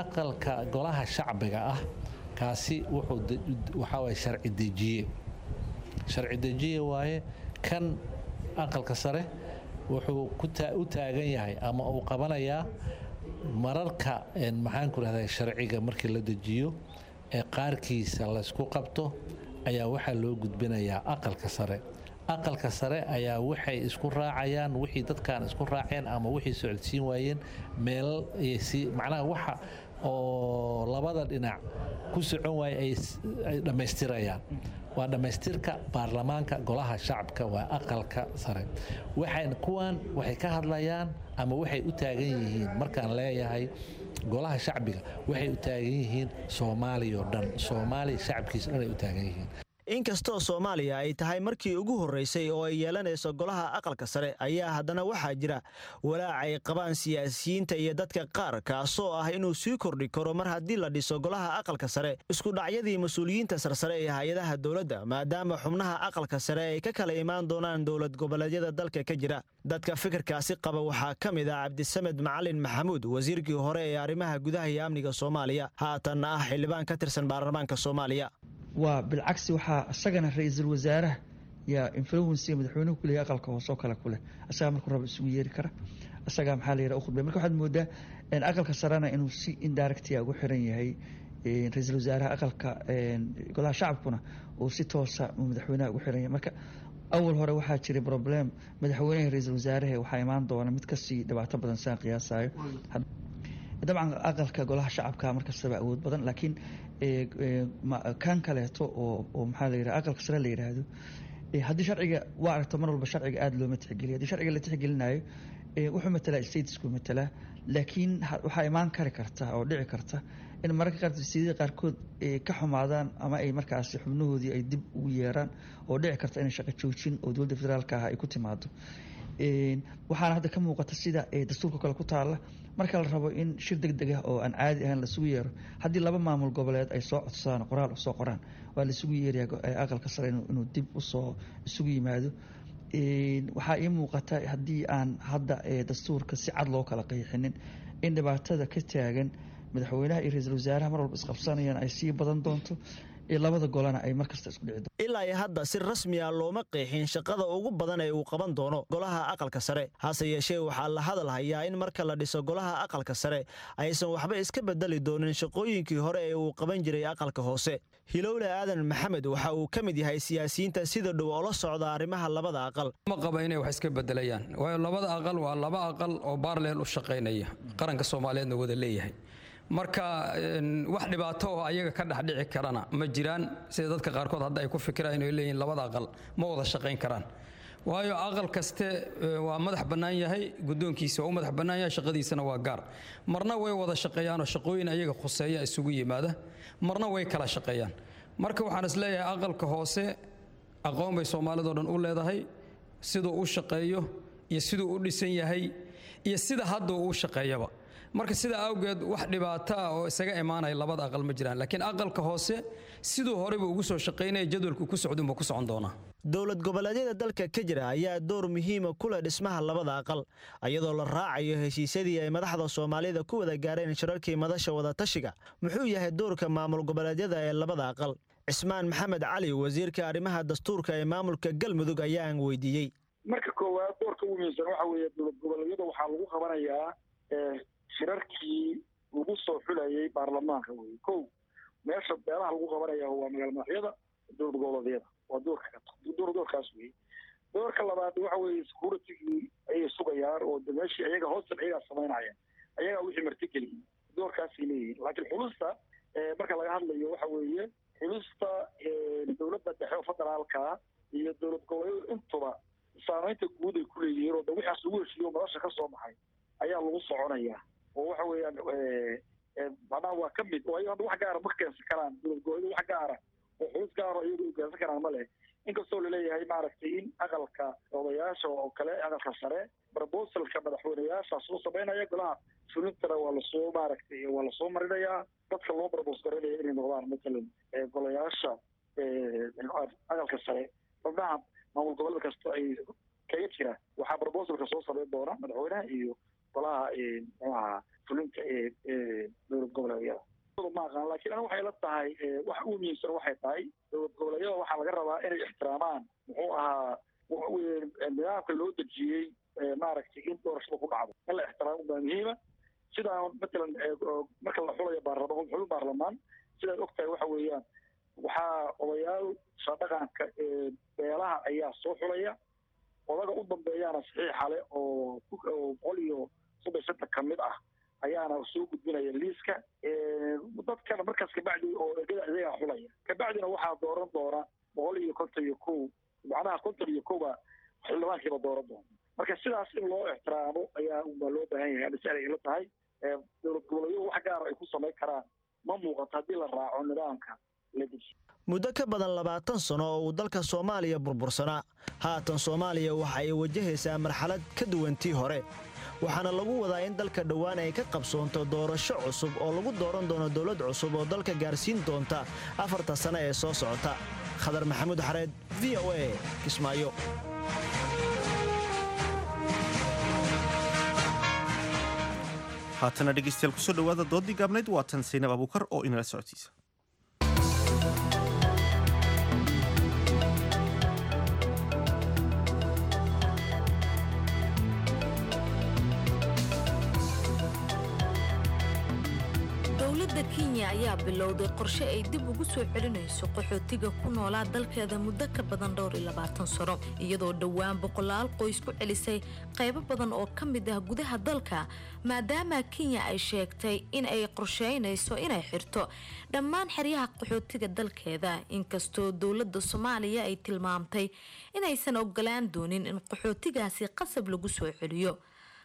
Aqalka golaha shacbiga ah kaasi wuxuu waxaa waye sharci dejiye, sharci dejiye waaye. Kan aqalka sare wuxuu u taagan yahay ama uu qabanayaa mararka, maxaan ku rahday, sharciga markii la dejiyo ee qaarkiisa laysku qabto ayaa waxaa loo gudbinayaa aqalka sare. Aqalka sare ayaa waxay isku raacayaan wixii dadkan isku raaceen ama wixii socodsiin waayeen meel, macnaha waxa oo labada dhinac ku socon waaya ay dhammaystirayaan. Waa dhammaystirka baarlamaanka golaha shacabka waa aqalka sare. Waxaan kuwan waxay ka hadlayaan ama waxay u taagan yihiin, markaan leeyahay golaha shacbiga, waxay u taagan yihiin Soomaaliya oo dhan, Soomaaliya shacabkiisa dhan ay u taagan yihiin. Inkastoo Soomaaliya ay tahay markii ugu horreysay oo ay yeelanayso golaha aqalka sare, ayaa haddana waxaa jira walaac ay qabaan siyaasiyiinta iyo dadka qaar, kaasoo ah inuu sii kordhi karo mar haddii la dhiso golaha aqalka sare isku dhacyadii mas-uuliyiinta sarsare ee hay-adaha dowladda, maadaama xubnaha aqalka sare ay ka kala imaan doonaan dowlad goboleedyada dalka ka jira. Dadka fikirkaasi qaba waxaa ka mid ah Cabdisamed Macalin Maxamuud, wasiirkii hore ee arrimaha gudaha iyo amniga Soomaaliya, haatanna ah xildhibaan ka tirsan baarlamaanka Soomaaliya. Waa bilcagsi, waxaa isagana ra-iisul wasaaraha yaa influensiga madaxweynuhu kuleeyahay aqalka hoose oo kale kuleh, isagaa markuu rabo isugu yeeri kara, isagaa maxaa la yidhaha u khudbay. Marka waxaad moodaa aqalka sarena inuu si indirectia ugu xiran yahay ra-iisul wasaaraha, aqalka golaha shacabkuna uu si toosa madaxweynaha ugu xiran yahay. Marka awal hore waxaa jiray problem madaxweynaha ra-iisul wasaaraha, waxaa imaan doona mid kasii dhibaato badan saan qiyaasayo. Dabcan aqalka golaha shacabka markastaba awood badan, laakiin kan kaleeto oo maxaa la yidhaha aqalka sare la yidhaahdo, haddii sharciga waa aragto mar walba sharciga aada looma tixgeliyo. Haddii sharciga la tixgelinayo wuxuu matalaa statesku matalaa, laakiin waxaa imaan kari karta oo dhici karta in mararka qaar siyada qaarkood ka xumaadaan ama ay markaasi xubnahoodii ay dib ugu yeeraan, oo dhici karta inay shaqo joojin oo dowladda federaalka ah ay ku timaado. Waxaana hadda ka muuqata sida dastuurka kale ku taalla, marka la rabo in shir deg deg ah oo aan caadi ahayn lasugu yeero, haddii laba maamul goboleed ay soo codsadaan, qoraal usoo qoraan, waa laisugu yeerayaa aqalka sare inuu dib usoo isugu yimaado. Waxaa ii muuqata haddii aan hadda dastuurka si cad loo kala qeexinin in dhibaatada ka taagan madaxweynaha iyo ra-iisul wasaaraha mar walba isqabsanayaan ay sii badan doonto, labada golana ay markasta isku dhici doonto. Ilaa iyo hadda si rasmi ah looma qeexin shaqada ugu badan ee uu qaban doono golaha aqalka sare. Hase yeeshee waxaa la hadal hayaa in marka la dhiso golaha aqalka sare aysan waxba iska bedeli doonin shaqooyinkii hore ee uu qaban jiray aqalka hoose. Hilowle Aadan Maxamed waxa uu ka mid yahay siyaasiyiinta sida dhow oo la socda arrimaha labada aqal. Ma qaba inay wax iska bedelayaan, waayo labada aqal waa laba aqal oo baarleel u shaqaynaya, qaranka Soomaaliyeedna wada leeyahay. Marka wax dhibaato oo ayaga ka dhex dhici karana ma jiraan, sida dadka qaarkood hadda ay ku fikiraan inay leeyihiin labada aqal ma wada shaqayn karaan. Waayo aqal kaste waa madax bannaan yahay, guddoonkiisa waa u madax bannaan yahay, shaqadiisana waa gaar. Marna way wada shaqeeyaanoo shaqooyin ayaga khuseeya isugu yimaada, marna way kala shaqeeyaan. Marka waxaan is leeyahay aqalka hoose aqoon bay Soomaalidoo dhan u leedahay, siduu u shaqeeyo iyo siduu u dhisan yahay iyo sida hadda uu u shaqeeyaba. Marka sidaa awgeed wax dhibaato ah oo isaga imaanaya labada aqal ma jiraan, laakiin aqalka hoose siduu horeyba ugu soo shaqaynaya jadwalku ku socdunba ku socon doonaa. Dowlad goboleedyada dalka ka jira ayaa door muhiima ku leh dhismaha labada aqal, iyadoo la raacayo heshiisyadii ay madaxda Soomaalida ku wada gaareen shirarkii madasha wadatashiga. Muxuu yahay doorka maamul goboleedyada ee labada aqal? Cismaan Maxamed Cali, wasiirka arrimaha dastuurka ee maamulka Galmudug, ayaan weydiiyey. Marka koowaad, doorka ugu muhiimsan waxa weeye dowlad goboleedyada waxaa lagu qabanayaa shirarkii lagu soo xulayay baarlamaanka weye. Kow, meesha beelaha lagu qabanaya waa magaala madaxyada dowlad goboleedyada, waa doorka door doorkaas weye. Doorka labaad waxa weeye securitygii ayay sugayaan oo de meeshii ayaga hoosta ayagaa samaynaya, ayagaa wixii martigeliyey, doorkaasay leeyihiin. Laakiin xulista marka laga hadlayo waxa weeye xulista dowladda dhexe oo federaalka iyo dowlad goboleedyadu intuba saameynta guud ay ku leeyihiin oo de wixaas lagu heshiiyo madasha ka soo baxay ayaa lagu soconayaa oo waxa weeyaan macnaha waa ka mid oo ayaga hadda wax gaara ma keensan karaan dowlad goboleedyadu, wax gaara oo xulus gaara iyagu ay keensan karaan ma leh. Inkastoo laleeyahay maaragtay in aqalka odayaasha oo kale, aqalka sare, proposalka madaxweyneyaasha soo samaynaya, golaha fulintana waa lasoo maaragtay waa lasoo marinayaa dadka loo propose garanaya inay noqdaan matalan golayaasha aqalka sare. Xubnaha maamul goboleed kasta ay kaga jira waxaa proposalka soo samayn doona madaxweynaha iyo golaha muxuaha fulinta ee dowlad goboleedyada. Ma aqaan, laakiin aniga waxay la tahay wax ugu muhiimsan waxay tahay dowlad goboleedyada waxaa laga rabaa inay ixtiraamaan muxuu ahaa nidaamka loo dejiyey maaragtay in doorashada ku dhacdo in la ixtiraamo baa muhiima. Sidaa matalan marka la xulayo baarlamaan, xulin baarlamaan, sidaad og tahay waxa weeyaan waxaa odayaal dhaqanka ee beelaha ayaa soo xulaya, odaga u dambeeyaana saxiixa leh oo boqol iyo soddon shanta ka mid ah ayaana soo gudbinaya liiska dadkana. Markaas kabacdi oo ergada iyagaa xulaya, kabacdina waxaa dooran doona boqol iyo konton iyo kow, macnaha konton iyo kowba xildhibaankiiba dooran doona. Marka sidaas in loo ixtiraamo ayaa baa loo baahan yahay. Ani si ay ila tahay dowlad goboleedyadu wax gaara ay ku samayn karaan ma muuqato haddii la raaco nidaamka la dejiyo. Muddo ka badan labaatan sano oo uu dalka Soomaaliya burbursanaa, haatan Soomaaliya waxa ay wajahaysaa marxalad ka duwan tii hore, waxaana lagu wadaa in dalka dhowaan ay ka qabsoonto doorasho cusub oo lagu dooran doono dowlad cusub oo dalka gaarsiin doonta afarta sano ee soo socota. Khadar Maxamuud Xareed, V O A, Kismaayo. Haatana dhegeystayaal, kusoo dhawaada doodii gaabnayd. Waa tan Saynab Abuukar oo inala socodsiisa. Dowladda Kenya ayaa bilowday qorshe ay dib ugu soo celinayso qaxootiga ku noolaa dalkeeda muddo ka badan dhowr iyo labaatan sano, iyadoo dhowaan boqolaal qoys ku celisay qaybo badan oo ka mid ah gudaha dalka, maadaama Kenya ay sheegtay in ay qorsheynayso inay xirto dhammaan xeryaha qaxootiga dalkeeda, inkastoo dowladda Soomaaliya ay tilmaamtay inaysan ogolaan doonin in qaxootigaasi qasab lagu soo celiyo.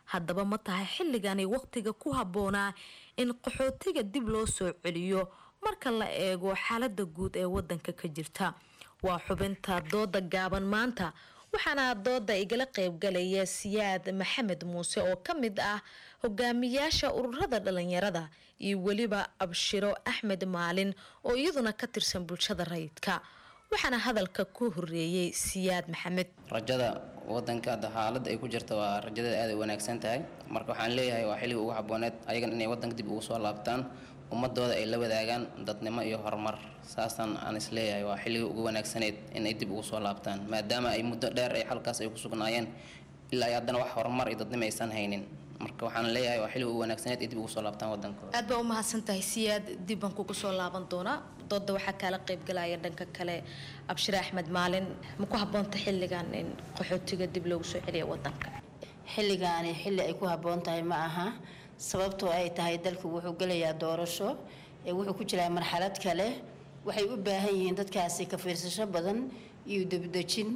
Haddaba ma tahay xilligani wakhtiga ku habboonaa in qaxootiga dib loo soo celiyo marka la eego xaalada guud ee wadanka ka jirta? Waa xubinta dooda gaaban maanta, waxaana dooda igala qaybgalaya Siyaad Maxamed Muuse oo ka mid ah hogaamiyaasha ururada dhalinyarada iyo weliba Abshiro Axmed Maalin oo iyaduna ka tirsan bulshada rayidka. Waxaana hadalka ku horeeyey Siyaad Maxamed. Rajada wadanka hadda xaaladda ay ku jirta waa rajadeeda aad ay wanaagsan tahay. Marka waxaan leeyahay waa xilligii ugu habooneed ayagan inay wadanka dib ugu soo laabtaan, ummadooda ay la wadaagaan dadnimo iyo horumar. Saasaan aan is leeyahay waa xilligii ugu wanaagsaneed inay dib ugu soo laabtaan, maadaama ay muddo dheer ay halkaas ay ku sugnaayeen ilaa ay haddana wax horumar iyo dadnimo aysan haynin. Marka waxaan leeyahay waa xilligii ugu wanaagsaneed ay dib ugu soo laabtaan wadankooda. Aad baa u mahadsantahay Siyaad, dib baan kugu soo laaban doonaa. Dooda waxaa kaala qaybgalaya dhanka kale Abshir Axmed Maalin. Ma ku habboonta xilligan in qaxootiga dib loogu soo celiyo wadanka? Xilligaani xilli ay ku habboon tahay ma aha, sababtoo ay tahay dalku wuxuu gelayaa doorasho, wuxuu ku jiraa marxalad kale. Waxay u baahan yihiin dadkaasi ka fiirsasho badan iyo debdejin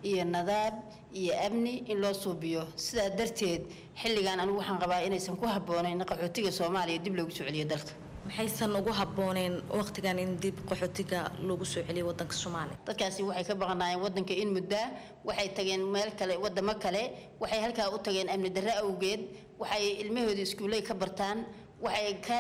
iyo nadaab iyo amni in loo suubiyo. Sidaa darteed xilligan anigu waxaan qabaa inaysan ku habboonayn qaxootiga Soomaaliya dib loogu soo celiyo dalka. Maxaysan ugu habbooneen waqtigan in dib qaxootiga loogu soo celiyo wadanka Soomaaliya? Dadkaasi waxay ka baqanaayeen wadanka in muddaa, waxay tageen meel kale, wadamo kale, waxay halkaa u tageen amni darro awgeed, waxay ilmahooda iskuuley ka bartaan, waxay ka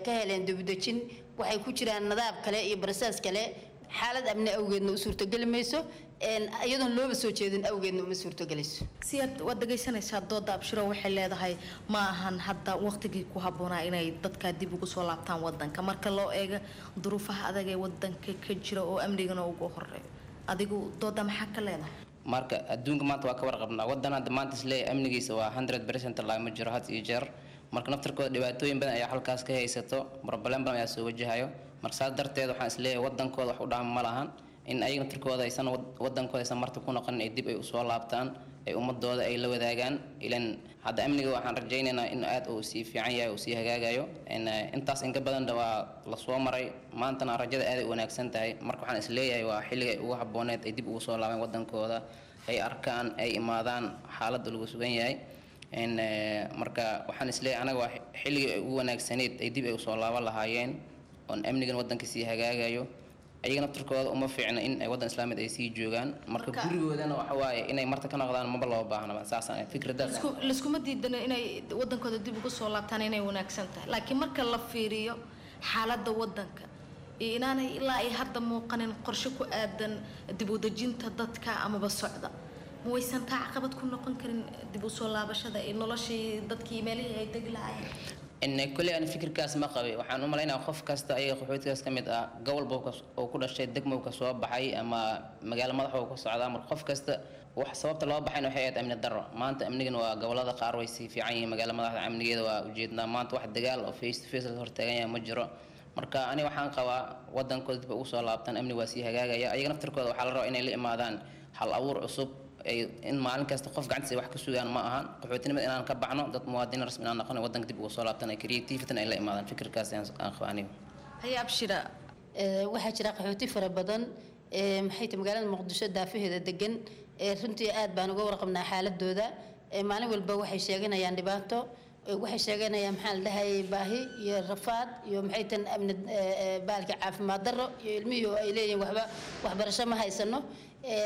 ka heleen dibdejin, waxay ku jiraan nadaab kale iyo barasaas kale. Xaalad amni awgeedna u suurtogeli mayso Iyadoon looba soo jeedin awgeedna uma suurtogelayso. Siyaad, waad dhegaysanaysaa dooda Abshiro. Waxay leedahay ma ahan hadda waqtigii ku habboonaa inay dadka dib ugu soo laabtaan wadanka, marka loo eego duruufaha adag ee wadanka ka jira oo amnigana ugu horeeyo. Adigu dooda maxaa ka leedahay? Marka adduunka maanta waa ka warqabnaa, wadan hadda maanta isleeyahay amnigiisa waa hundred percent lagama jiro had iyo jeer. Marka naftarkooda dhibaatooyin badan ayaa halkaas ka haysato, problem badan ayaa soo wajahayo. Marka saas darteed waxaan isleeyahay wadankooda wax u dhaama ma lahan in ayaga naftarkooda aysan wadankooda aysan marti ku noqonin, ay dib ay usoo laabtaan, ay ummadooda ay la wadaagaan. Ilan hadda amniga waxaan rajaynaynaa in aad uu sii fiican yahay, uu sii hagaagayo. Intaas inka badanna waa lasoo maray, maantana rajada aad ay u wanaagsan tahay. Marka waxaan isleeyahay waa xilliga ay ugu habbooneed ay dib ugu soo laabeen wadankooda, ay arkaan, ay imaadaan xaaladda lagu sugan yahay. Marka waxaan isleeyahay anaga waa xilligii ay ugu wanaagsaneyd ay dib ay usoo laaban lahaayeen, oon amnigan wadanka sii hagaagayo. Ayaga naftarkooda uma fiicna in ay waddan islaamied ay sii joogaan. Marka gurigoodana waxa waaye inay marta ka noqdaan maba loo baahnaba, saasaan fikradaas. Layskuma diidano inay wadankooda dib ugu soo laabtaan inay wanaagsan tahay, laakiin marka la fiiriyo xaaladda wadanka iyo inaanay ilaa ay hadda muuqanin qorshe ku aadan dib u dejinta dadka amaba socda, ma waysan taa caqabad ku noqon karin dib u soo laabashada iyo noloshii dadkii meelihii ay degi lahaayeen? Kolley aan fikirkaas ma qabay. Waxaan u malaynaya qof kasta ayaga qaxootigaas ka mid ah, gobol oo ku dhashay, degmo ka soo baxay ama magaalo madax oo ka socdaa. Marka qof kasta wax sababta loo baxayna waxay ahayd amni darro. Maanta amnigan waa gobolada qaar way sii fiican yihiin, magaalo madaxda amnigeeda waa ujeednaa. Maanta wax dagaal oo face to face la hortaagan yahay ma jiro. Marka ani waxaan qabaa wadankooda dib ugu soo laabtaan, amni waa sii hagaagaya. Ayaga naftarkooda waxaa la rabaa inay la imaadaan hal abuur cusub, in maalin kasta qof gacantiisa wax ka sugaan ma ahan. Qaxootinimada inaan ka baxno, dad muwaadiniin rasmi inaan noqono, wadanka dib ugu soo laabtaan, creativity ay la imaadaan, fikirkaas aan qaba aniga. Haye Abshira. Waxaa jira qaxooti fara badan, maxay tahay, magaalada Muqdisho daafaheeda degan. Runtii aad baan uga warqabnaa xaaladooda. Maalin walba waxay sheeganayaan dhibaato, waxay sheeganayaan, maxaa la dhahayay, baahi iyo rafaad iyo maxay tan amni baalka, caafimaad darro iyo ilmihii oo ay leeyihiin waxba waxbarasho ma haysano.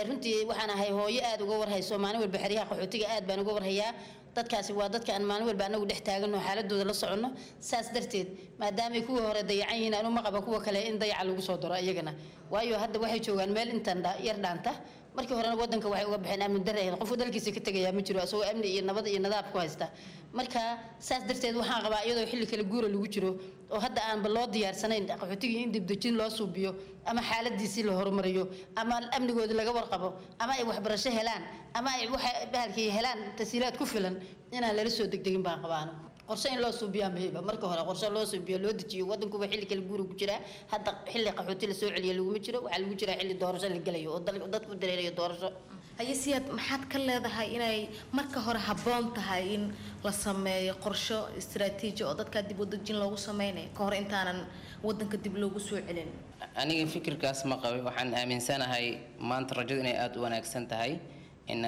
Runtii waxaan ahay hooyo aad uga warhayso maalin walba xeryaha qaxootiga, aad baan uga warhayaa. Dadkaasi waa dadka aan maalin walba anagu dhex taagano, xaaladooda la soconno. Saas darteed, maadaamay kuwa hore dayacan yihiin, anu ma qaba kuwa kale in dayaca lagu soo daro iyagana, waayo hadda waxay joogaan meel intan yar dhaanta. Markii horena wadanka waxay uga baxeen amni darre ahayd. Qofku dalkiisa ka tegayaa ma jiro isagoo amni iyo nabad iyo nadaab ku haysta. Marka saas darteed waxaan qabaa, iyadoo xilli kala guura lagu jiro oo hadda aanba loo diyaarsanayn qaxootigii in dibdejin loo suubiyo ama xaaladiisii la horumariyo ama amnigoodii laga warqabo ama ay waxbarasho helaan ama ay waxa bahalkii helaan tasiilaad ku filan, inaan lala soo degdegin baan qabaano. Qorshe in loo suubiyaa muhiima. Marka hore qorshe loo suubiyo, loo dejiyo. Wadankuba xilli kala guura ku jiraa hadda, xilli qaxooti la soo celiya laguma jiro. Waxaa lagu jiraa xilli doorasho la gelayo oo dadku dareerayo doorasho. Haye Siyaad, maxaad ka leedahay inay marka hore habboon tahay in la sameeyo qorsho istiraatiiji oo dadka dib u dejin loogu sameynayo ka hor intaanan wadanka dib loogu soo celin? Aniga fikirkaas ma qabay. Waxaan aaminsanahay maanta rajadu inay aada u wanaagsan tahay. In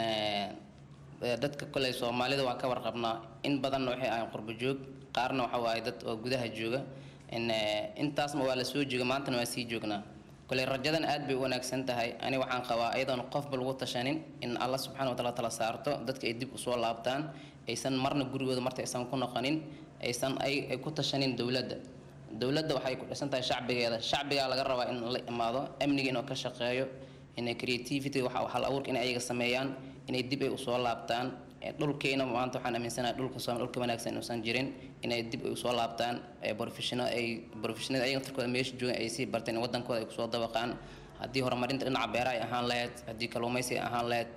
dadka koley Soomaalida waan ka warqabnaa, in badanna waxay ahayn qurbo joog, qaarna waxa waaye dad oo gudaha jooga. In intaasma waa la soo jooga, maantana waa sii joognaa. Koley rajadan aad bay u wanaagsan tahay. Ani waxaan qabaa iyadoon qofba lagu tashanin in Alla subxaana wataala tala saarto, dadka ay dib usoo laabtaan, aysan marna gurigooda marta aysan ku noqonin, aysan ay ay ku tashanin dowladda. Dowladda waxay ku dhisan tahay shacbigeeda. Shacbigaa laga rabaa in la imaado amniga, inuu ka shaqeeyo, inay creativity waxa hal abuurka inay ayaga sameeyaan, inay dib ay usoo laabtaan. Dhulkeena maanta waxaan aaminsanahay dhulka Soomaali dhulka wanaagsan inuusan jirin, inay dib ay usoo laabtaan, professional ay professional ayaga naftarkooda meesha joogan ay sii barteen, wadankooda ay kusoo dabaqaan. Haddii horumarinta dhinaca beeraha ay ahaan lahayd, haddii kalluumaysi ay ahaan lahayd,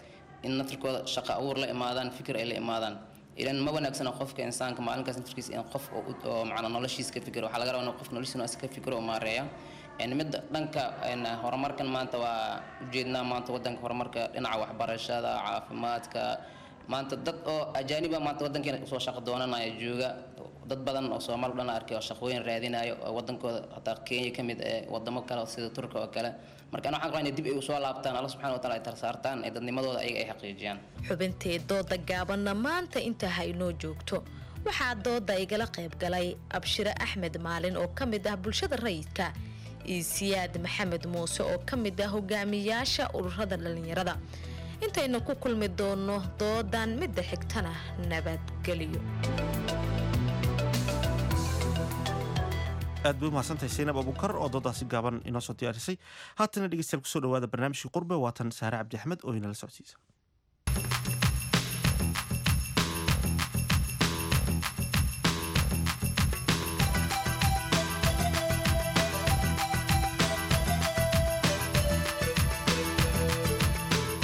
in naftarkooda shaqo abuur la imaadaan, fikir ay la imaadaan. Ilan ma wanaagsana qofka insaanka maalinkaas naftarkiisa in qof oo macnaa noloshiisa ka fikiro. Waxaa laga rabaa in qofka noloshiisa ka fikiro oo maareeya. Midda dhanka horumarkan maanta waa ujeednaa maanta wadanka horumarka dhinaca waxbarashada, caafimaadka. Maanta dad oo ajaaniba maanta wadankeena usoo shaqo doonanaya jooga, dad badan oo Soomaali dhan arkay oo shaqooyin raadinayo oo wadankooda, hataa Kenya ka mid ee wadamo kale sida Turka oo kale. Marka ana waxaan qabaa inay dib ay usoo laabtaan, Alla subxaana wataala ay tarsaartaan, ee dadnimadooda ayaga ay xaqiijiyaan. Xubintee dooda gaabanna maanta intaa ha inoo joogto. Waxaa dooda igala qayb galay Abshire Axmed Maalin oo ka mid ah bulshada rayidka iyo Siyaad Maxamed Muuse oo ka mid ah hogaamiyaasha ururada dhallinyarada. Intaynu ku kulmi doonno doodan midda xigtana, nabadgelyo. Aad bay umahadsantahay Saynab Abuukar oo doodaasi gaaban inoo soo diyaarisay. Haatana dhegeystayaal, kusoo dhawaada barnaamijkii Qurbe. Waatan Saare Cabdi Axmed oo inala socodsiisa.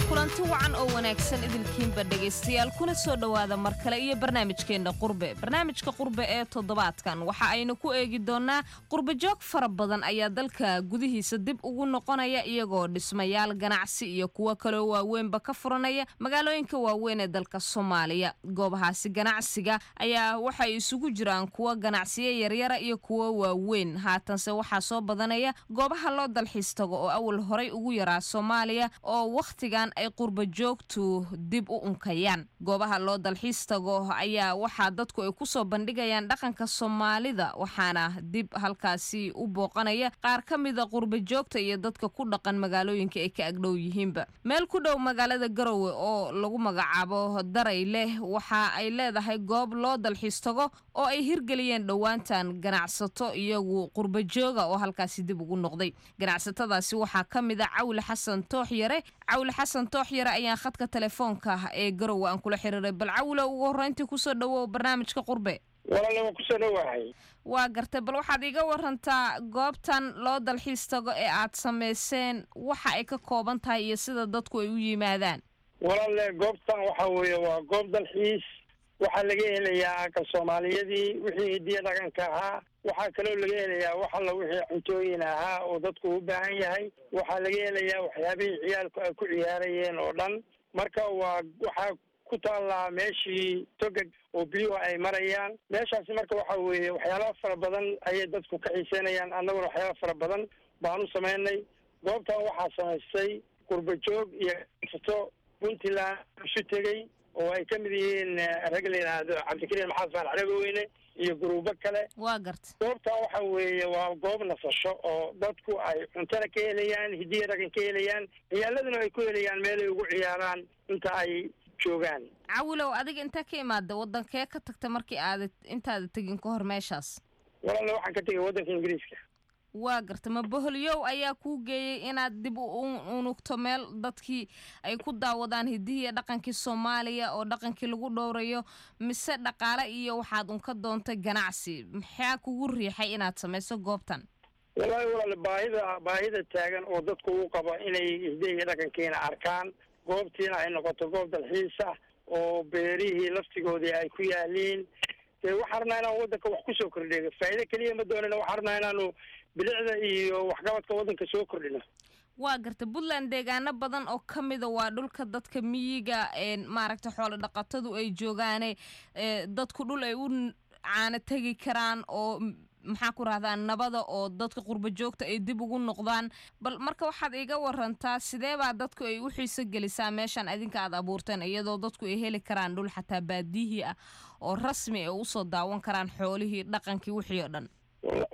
Kulanti wacan oo wanaagsan idilkiinba dhegaystayaal, kuna soo dhowaada mar kale iyo barnaamijkeenna Qurbe. Barnaamijka Qurbe ee toddobaadkan waxa aynu ku eegi doonnaa qurbajoog fara badan ayaa dalka gudihiisa dib ugu noqonaya, iyagoo dhismayaal ganacsi iyo kuwo kaloo waaweynba ka furanaya magaalooyinka waaweyn ee dalka Soomaaliya. Goobahaasi ganacsiga ayaa waxay isugu jiraan kuwo ganacsiyo yaryara iyo kuwo waaweyn. Haatanse waxaa soo badanaya goobaha loo dalxiis tago oo awal horay ugu yaraa Soomaaliya, oo wakhtigan ay qurba joogtu dib u unkayaan. Goobaha loo dalxiis tago ayaa waxaa dadku ay kusoo bandhigayaan dhaqanka Soomaalida, waxaana dib halkaasi u booqanaya qaar ka mida qurba joogta iyo dadka ku dhaqan magaalooyinka ay ka agdhow yihiinba. Meel ku dhow magaalada Garowe oo lagu magacaabo Daray leh waxa ay leedahay goob loo dalxiis tago oo ay hirgeliyeen dhowaantan ganacsato iyagu qurba jooga oo halkaasi dib ugu noqday. Ganacsatadaasi waxaa ka mid a Cawle Xasan Tooxyare. Cawle Xasan Tooxyare ayaan khadka telefoonka ee Garowe aan kula xiriiray. Bal Cawle, ugu horreyntii kusoo dhawow barnaamijka Qurbe. Walaale, waan kusoo dhowahay. Waa gartay. Bal waxaad iiga warantaa goobtan loo dalxiis tago ee aad samayseen, waxa ay ka kooban tahay iyo sida dadku ay u yimaadaan. Walaale, goobtan waxa weeye waa goob dalxiis. Waxaa laga helayaa aqal Soomaaliyadii, wixii hidiya dhaqanka ahaa. Waxaa kaloo laga helayaa wax alla wixii cuntooyin ahaa oo dadku u baahan yahay. Waxaa laga helayaa waxyaabihii ciyaalku ay ku ciyaarayeen oo dhan. Marka waa waxaa ku taallaa meeshii togag oo biyuhu ay marayaan meeshaasi. Marka waxa weeye waxyaalaha fara badan ayay dadku ka xiiseynayaan, annaguna waxyaala fara badan baan u samaynay. Goobtan waxaa samaystay qurba joog iyo ganacsato Puntland isu tegey oo ay ka mid yihiin rag la yidhaahdo Cabdikariim Maxamed Faarax Dhagaweyne iyo guruubo kale. Waa garta. Goobtan waxa weeye waa goob nasasho oo dadku ay cuntana ka helayaan, hidiya dhaqan ka helayaan, ciyaaladuna ay ku helayaan meelay ugu ciyaaraan inta ay joogaan. Cawilow, adiga intee ka imaada? Wadankee ka tagta markii aada intaada tegin ka hor meeshaas? Walaalna, waxaan ka tegay waddanka Ingiriiska. Waa garta. Ma boholyow ayaa kuu geeyey inaad dib u unugto meel dadkii ay ku daawadaan hidihii iyo dhaqankii Soomaaliya oo dhaqankii lagu dhowrayo, mise dhaqaale iyo waxaad un ka doontay ganacsi? Maxaa kugu riixay inaad samayso goobtan? Wallaahi walaal, baahida baahida taagan oo dadku u qabo inay hidihi iyo dhaqankiina arkaan, goobtiina ay noqoto goob dalxiis ah oo beerihii laftigoodii ay ku yaaliin. Dee waxaan rabnaa inaan waddanka wax kusoo kordhiyo. Faa'iido keliya ma doonina, waxaan rabnaa inaanu bilicda iyo waxqabadka waddanka soo kordhino. Waa garta. Puntland deegaano badan oo ka mida waa dhulka dadka miyiga, maaragta, xoolo dhaqatadu ay joogaane, dadku dhul ay u caano tegi karaan oo, maxaa ku rahdaa, nabada oo dadka qurba joogta ay dib ugu noqdaan. Bal marka waxaad iiga warantaa sidee baa dadku ay u xiiso gelisaa meeshan idinka aad abuurteen, iyadoo dadku ay heli karaan dhul xataa baadiyihii ah oo rasmi ay usoo daawan karaan xoolihii, dhaqankii, wixii oo dhan?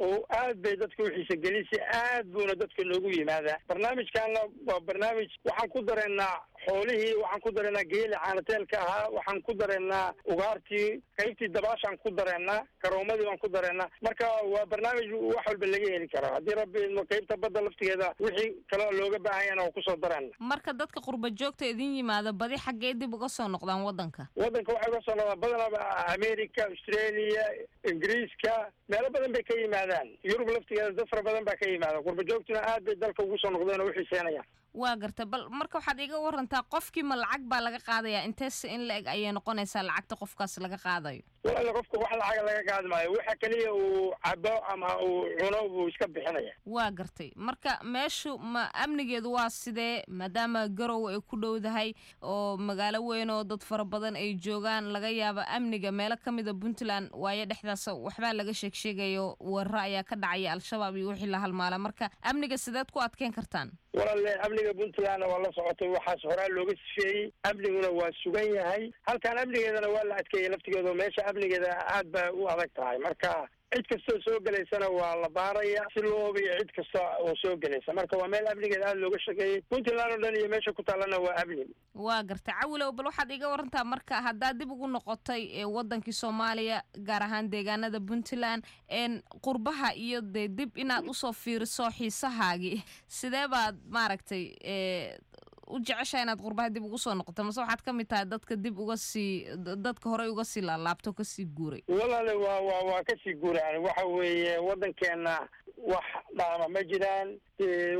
Oo aad bay dadka u xiisa gelisa, aad buuna dadka noogu yimaadaa. Barnaamijkaana waa barnaamij waxaan ku dareennaa xoolihii, waxaan ku dareennaa geeli caanateelka ahaa, waxaan ku dareennaa ugaartii, qaybtii dabaashaan ku dareennaa, garoomadii baan ku dareennaa. Marka waa barnaamij wax walba laga heli karo haddii Rabbi idmo. Qaybta badda laftigeeda wixii kaloo looga baahan yahana waa kusoo dareena. Marka dadka qurba joogta idin yimaada badi xaggee dib uga soo noqdaan waddanka? Waddanka waxay uga soo noqdaan badanaba America, Australia, Ingiriiska, meelo badan bay ka yimaadaan. Yurub laftigeeda dad fara badan baa ka yimaada. Qurba joogtuna aad bay dalka ugu soo noqdeen oo u xiiseenayaan. Waa garta. Bal marka waxaad iiga warantaa, qofkii ma lacag baa laga qaadayaa? Inteese in la eg ayay noqonaysaa lacagta qofkaas laga qaadayo? Walaal, qofka wax lacaga laga qaadi maayo. Waxa keliya uu cabo ama uu cuno buu iska bixinaya. Waa gartay. Marka meeshu ma amnigeedu waa sidee, maadaama Garowe ay ku dhowdahay oo magaalo weyn oo dad fara badan ay joogaan, laga yaabo amniga meelo ka mida Puntland waayo dhexdaas waxbaa laga sheeg sheegayo, weeraro ayaa ka dhacaya, Al-Shabaab iyo wixii la halmaala. Marka amniga sideed ku adkeyn kartaan? Walaale, amniga Puntlandna waa la socotay, waxaas horaa looga sifeeyey, amniguna waa sugan yahay. Halkan amnigeedana waa la adkeeyey laftigeeda oo meesha Amnigeeda aad bay u adag tahay. Marka cid kastoo soo gelaysana waa la baaraya si loo hubiyo cid kasta oo soo gelaysa. Marka waa meel amnigeeda aada looga shaqeeyey. Puntland oo dhan iyo meesha ku taallana waa amni. Waa garta, Cawilow. Bal waxaad iga warantaa marka haddaad dib ugu noqotay ee wadankii Soomaaliya, gaar ahaan deegaanada Puntland, een qurbaha iyo dee dib inaad usoo fiiriso xiisahaagii, sidee baad maaragtay ee u jeceshahay inaad qurbaha dib ugu soo noqoto, mase waxaad ka mid tahay dadka dib uga sii dadka horey uga sii laalaabto, kasii guuray? Walaale, waa waa waa kasii guuraan. Waxa weeye, waddankeena wax dhaama ma jiraan.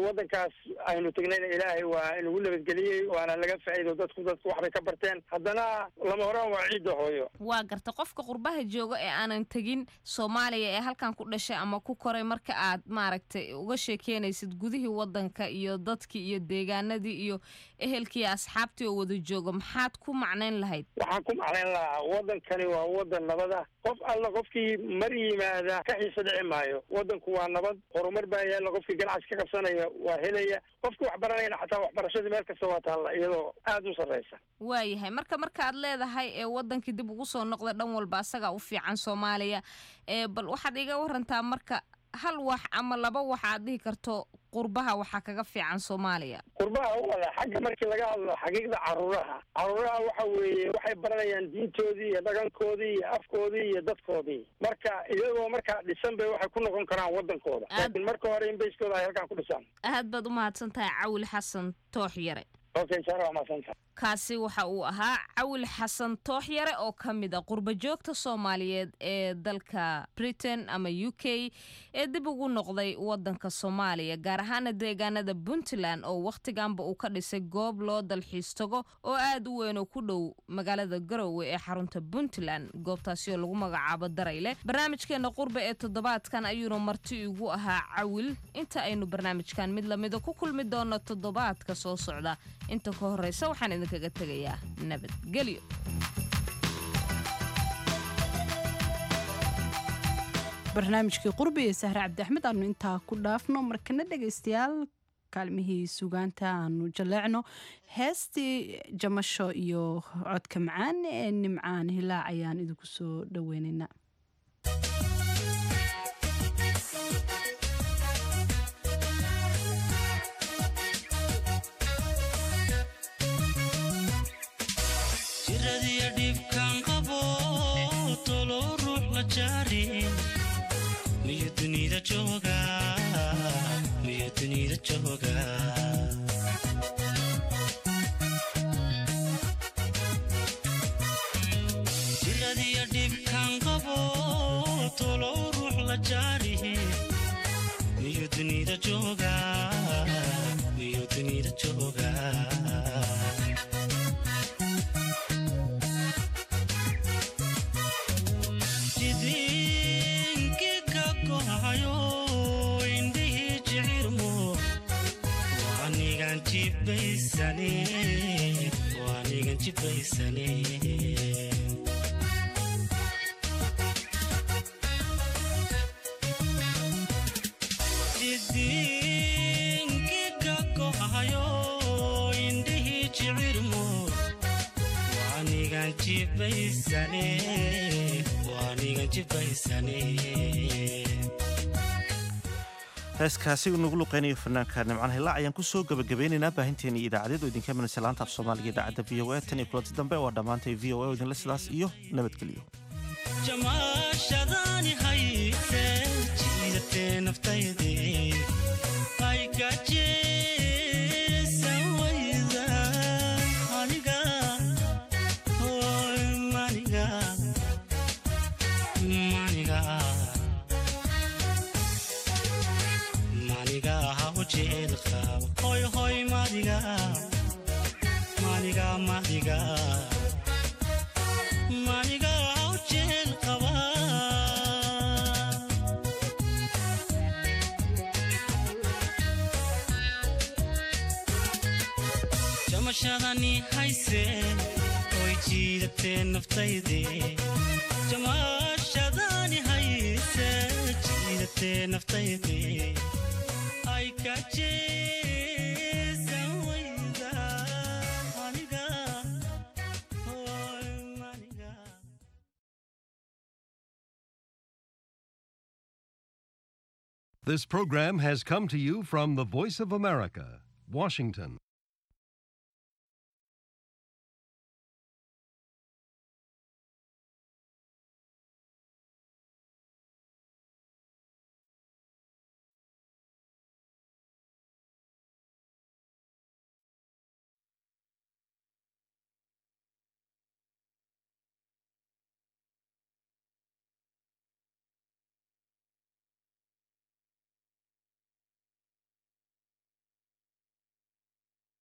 Waddankaas aynu tegnayna Ilaahay waa inagu nabadgeliyey, waana laga faa'iido. Dadku dadku waxbay ka barteen. Haddana lama horaan waa ciidda hooyo. Waa garta. Qofka qurbaha jooga ee aanan tegin Soomaaliya ee halkan ku dhashay ama ku koray, marka aad maaragtay uga sheekeynaysid gudihii waddanka iyo dadkii iyo deegaanadii iyo ehelkii iyo asxaabtii oo wada jooga, maxaad ku macnayn lahayd? Waxaan ku macnayn lahaa, waddankani waa waddan nabada. Qof alla qofkii mar yimaada ka xiisa dhici maayo. Waddanku waa nabad, horumar baa yaalla. Qofkii ganacsi ka qabsanaya waa helaya, qofkii wax baranayana xataa waxbarashadii meel kasta waa taalla iyadoo aada u sarreysa. Waayahay. Marka markaad leedahay ee wadankii dib ugu soo noqda, dhan walba asagaa u fiican Soomaaliya, ee bal waxaad iga warantaa marka hal wax ama laba wax aad dhihi karto qurbaha waxaa kaga fiican Soomaaliya. Qurbaha, wala xagga markii laga hadlo xaqiiqda, caruuraha caruuraha waxa weeye waxay baranayaan diintoodii iyo dhaqankoodii iyo afkoodii iyo dadkoodii. Marka iyagoo markaa dhisan bay waxay ku noqon karaan wadankooda, laakiin marka hore in bayskooda ay halkaan ku dhisaan. Aad baad u mahadsan tahay, Cawil Xasan Toox Yare. Okay, Sara, waa mahadsantahay. Kaasi waxa uu ahaa Cawil Xasan Tooxyare oo ka mid a qurba joogta Soomaaliyeed ee dalka Britain ama U K ee dib ugu noqday wadanka Soomaaliya, gaar ahaana deegaanada Puntland, oo wakhtiganba uu ka dhisay goob loo dalxiis tago oo aad u weyn oo ku dhow magaalada Garowe ee xarunta Puntland, goobtaasi oo lagu magacaabo Darayle. Barnaamijkeena qurba ee toddobaadkan ayuuna marti igu ahaa Cawil. Inta aynu barnaamijkan mid lamida ku kulmi doono toddobaadka soo socda, inta ka horeysa waxaan idinkaga tegayaa nabadgelyo. Barnaamijkii qurbi ee Sahre Cabdi Axmed aanu intaa ku dhaafno. Markana dhegaystayaal, kaalmihii sugaanta aanu jaleecno. Heestii Jamasho iyo codka macaan ee Nimcaan Hilaac ayaan idinku soo dhaweynaynaa. Jiradiya dhibkan qabo tolo ruux la jaarin, miyo dunida jooga, miyo dunida jooga? Jiradiya dhibkan qabo tolo ruux la jaarin, miyo dunida jooga, miyo dunida jooga? Jidinki ka gohayo indhihii jicirmo, waanigan jibaysane, waanigan jibaysane. Jidinki ka gohayo indhihii jicirmo, waanigan jibaysane, waanigan jibaysane. Heeskaasi uu nagu luqeynayo fanaanka Nimcaan Hilaac ayaan kusoo gabagabeynaynaa baahinteena iyo idaacadeed oo idinka imanaysa laanta af Soomaaliga idaacadda V O A. Tan iyo kulanti dambe, waa dhammaantay V O A oo idinle sidaas iyo nabadgelyo. Jamaashadani hayse jiidatee naftayde ay gajeesan wayda aniga, oy maniga, maniga, maniga hawjeel qaba, hoy hoy, maniga, maniga, maniga, maniga hawjeel qaba. Jamashadani hayse oy jiidatee naftayde, jamashadani hayse jiidatee naftayde ay kajeesan wayda aniga, oy maniga. This program has come to you from the Voice of America, Washington.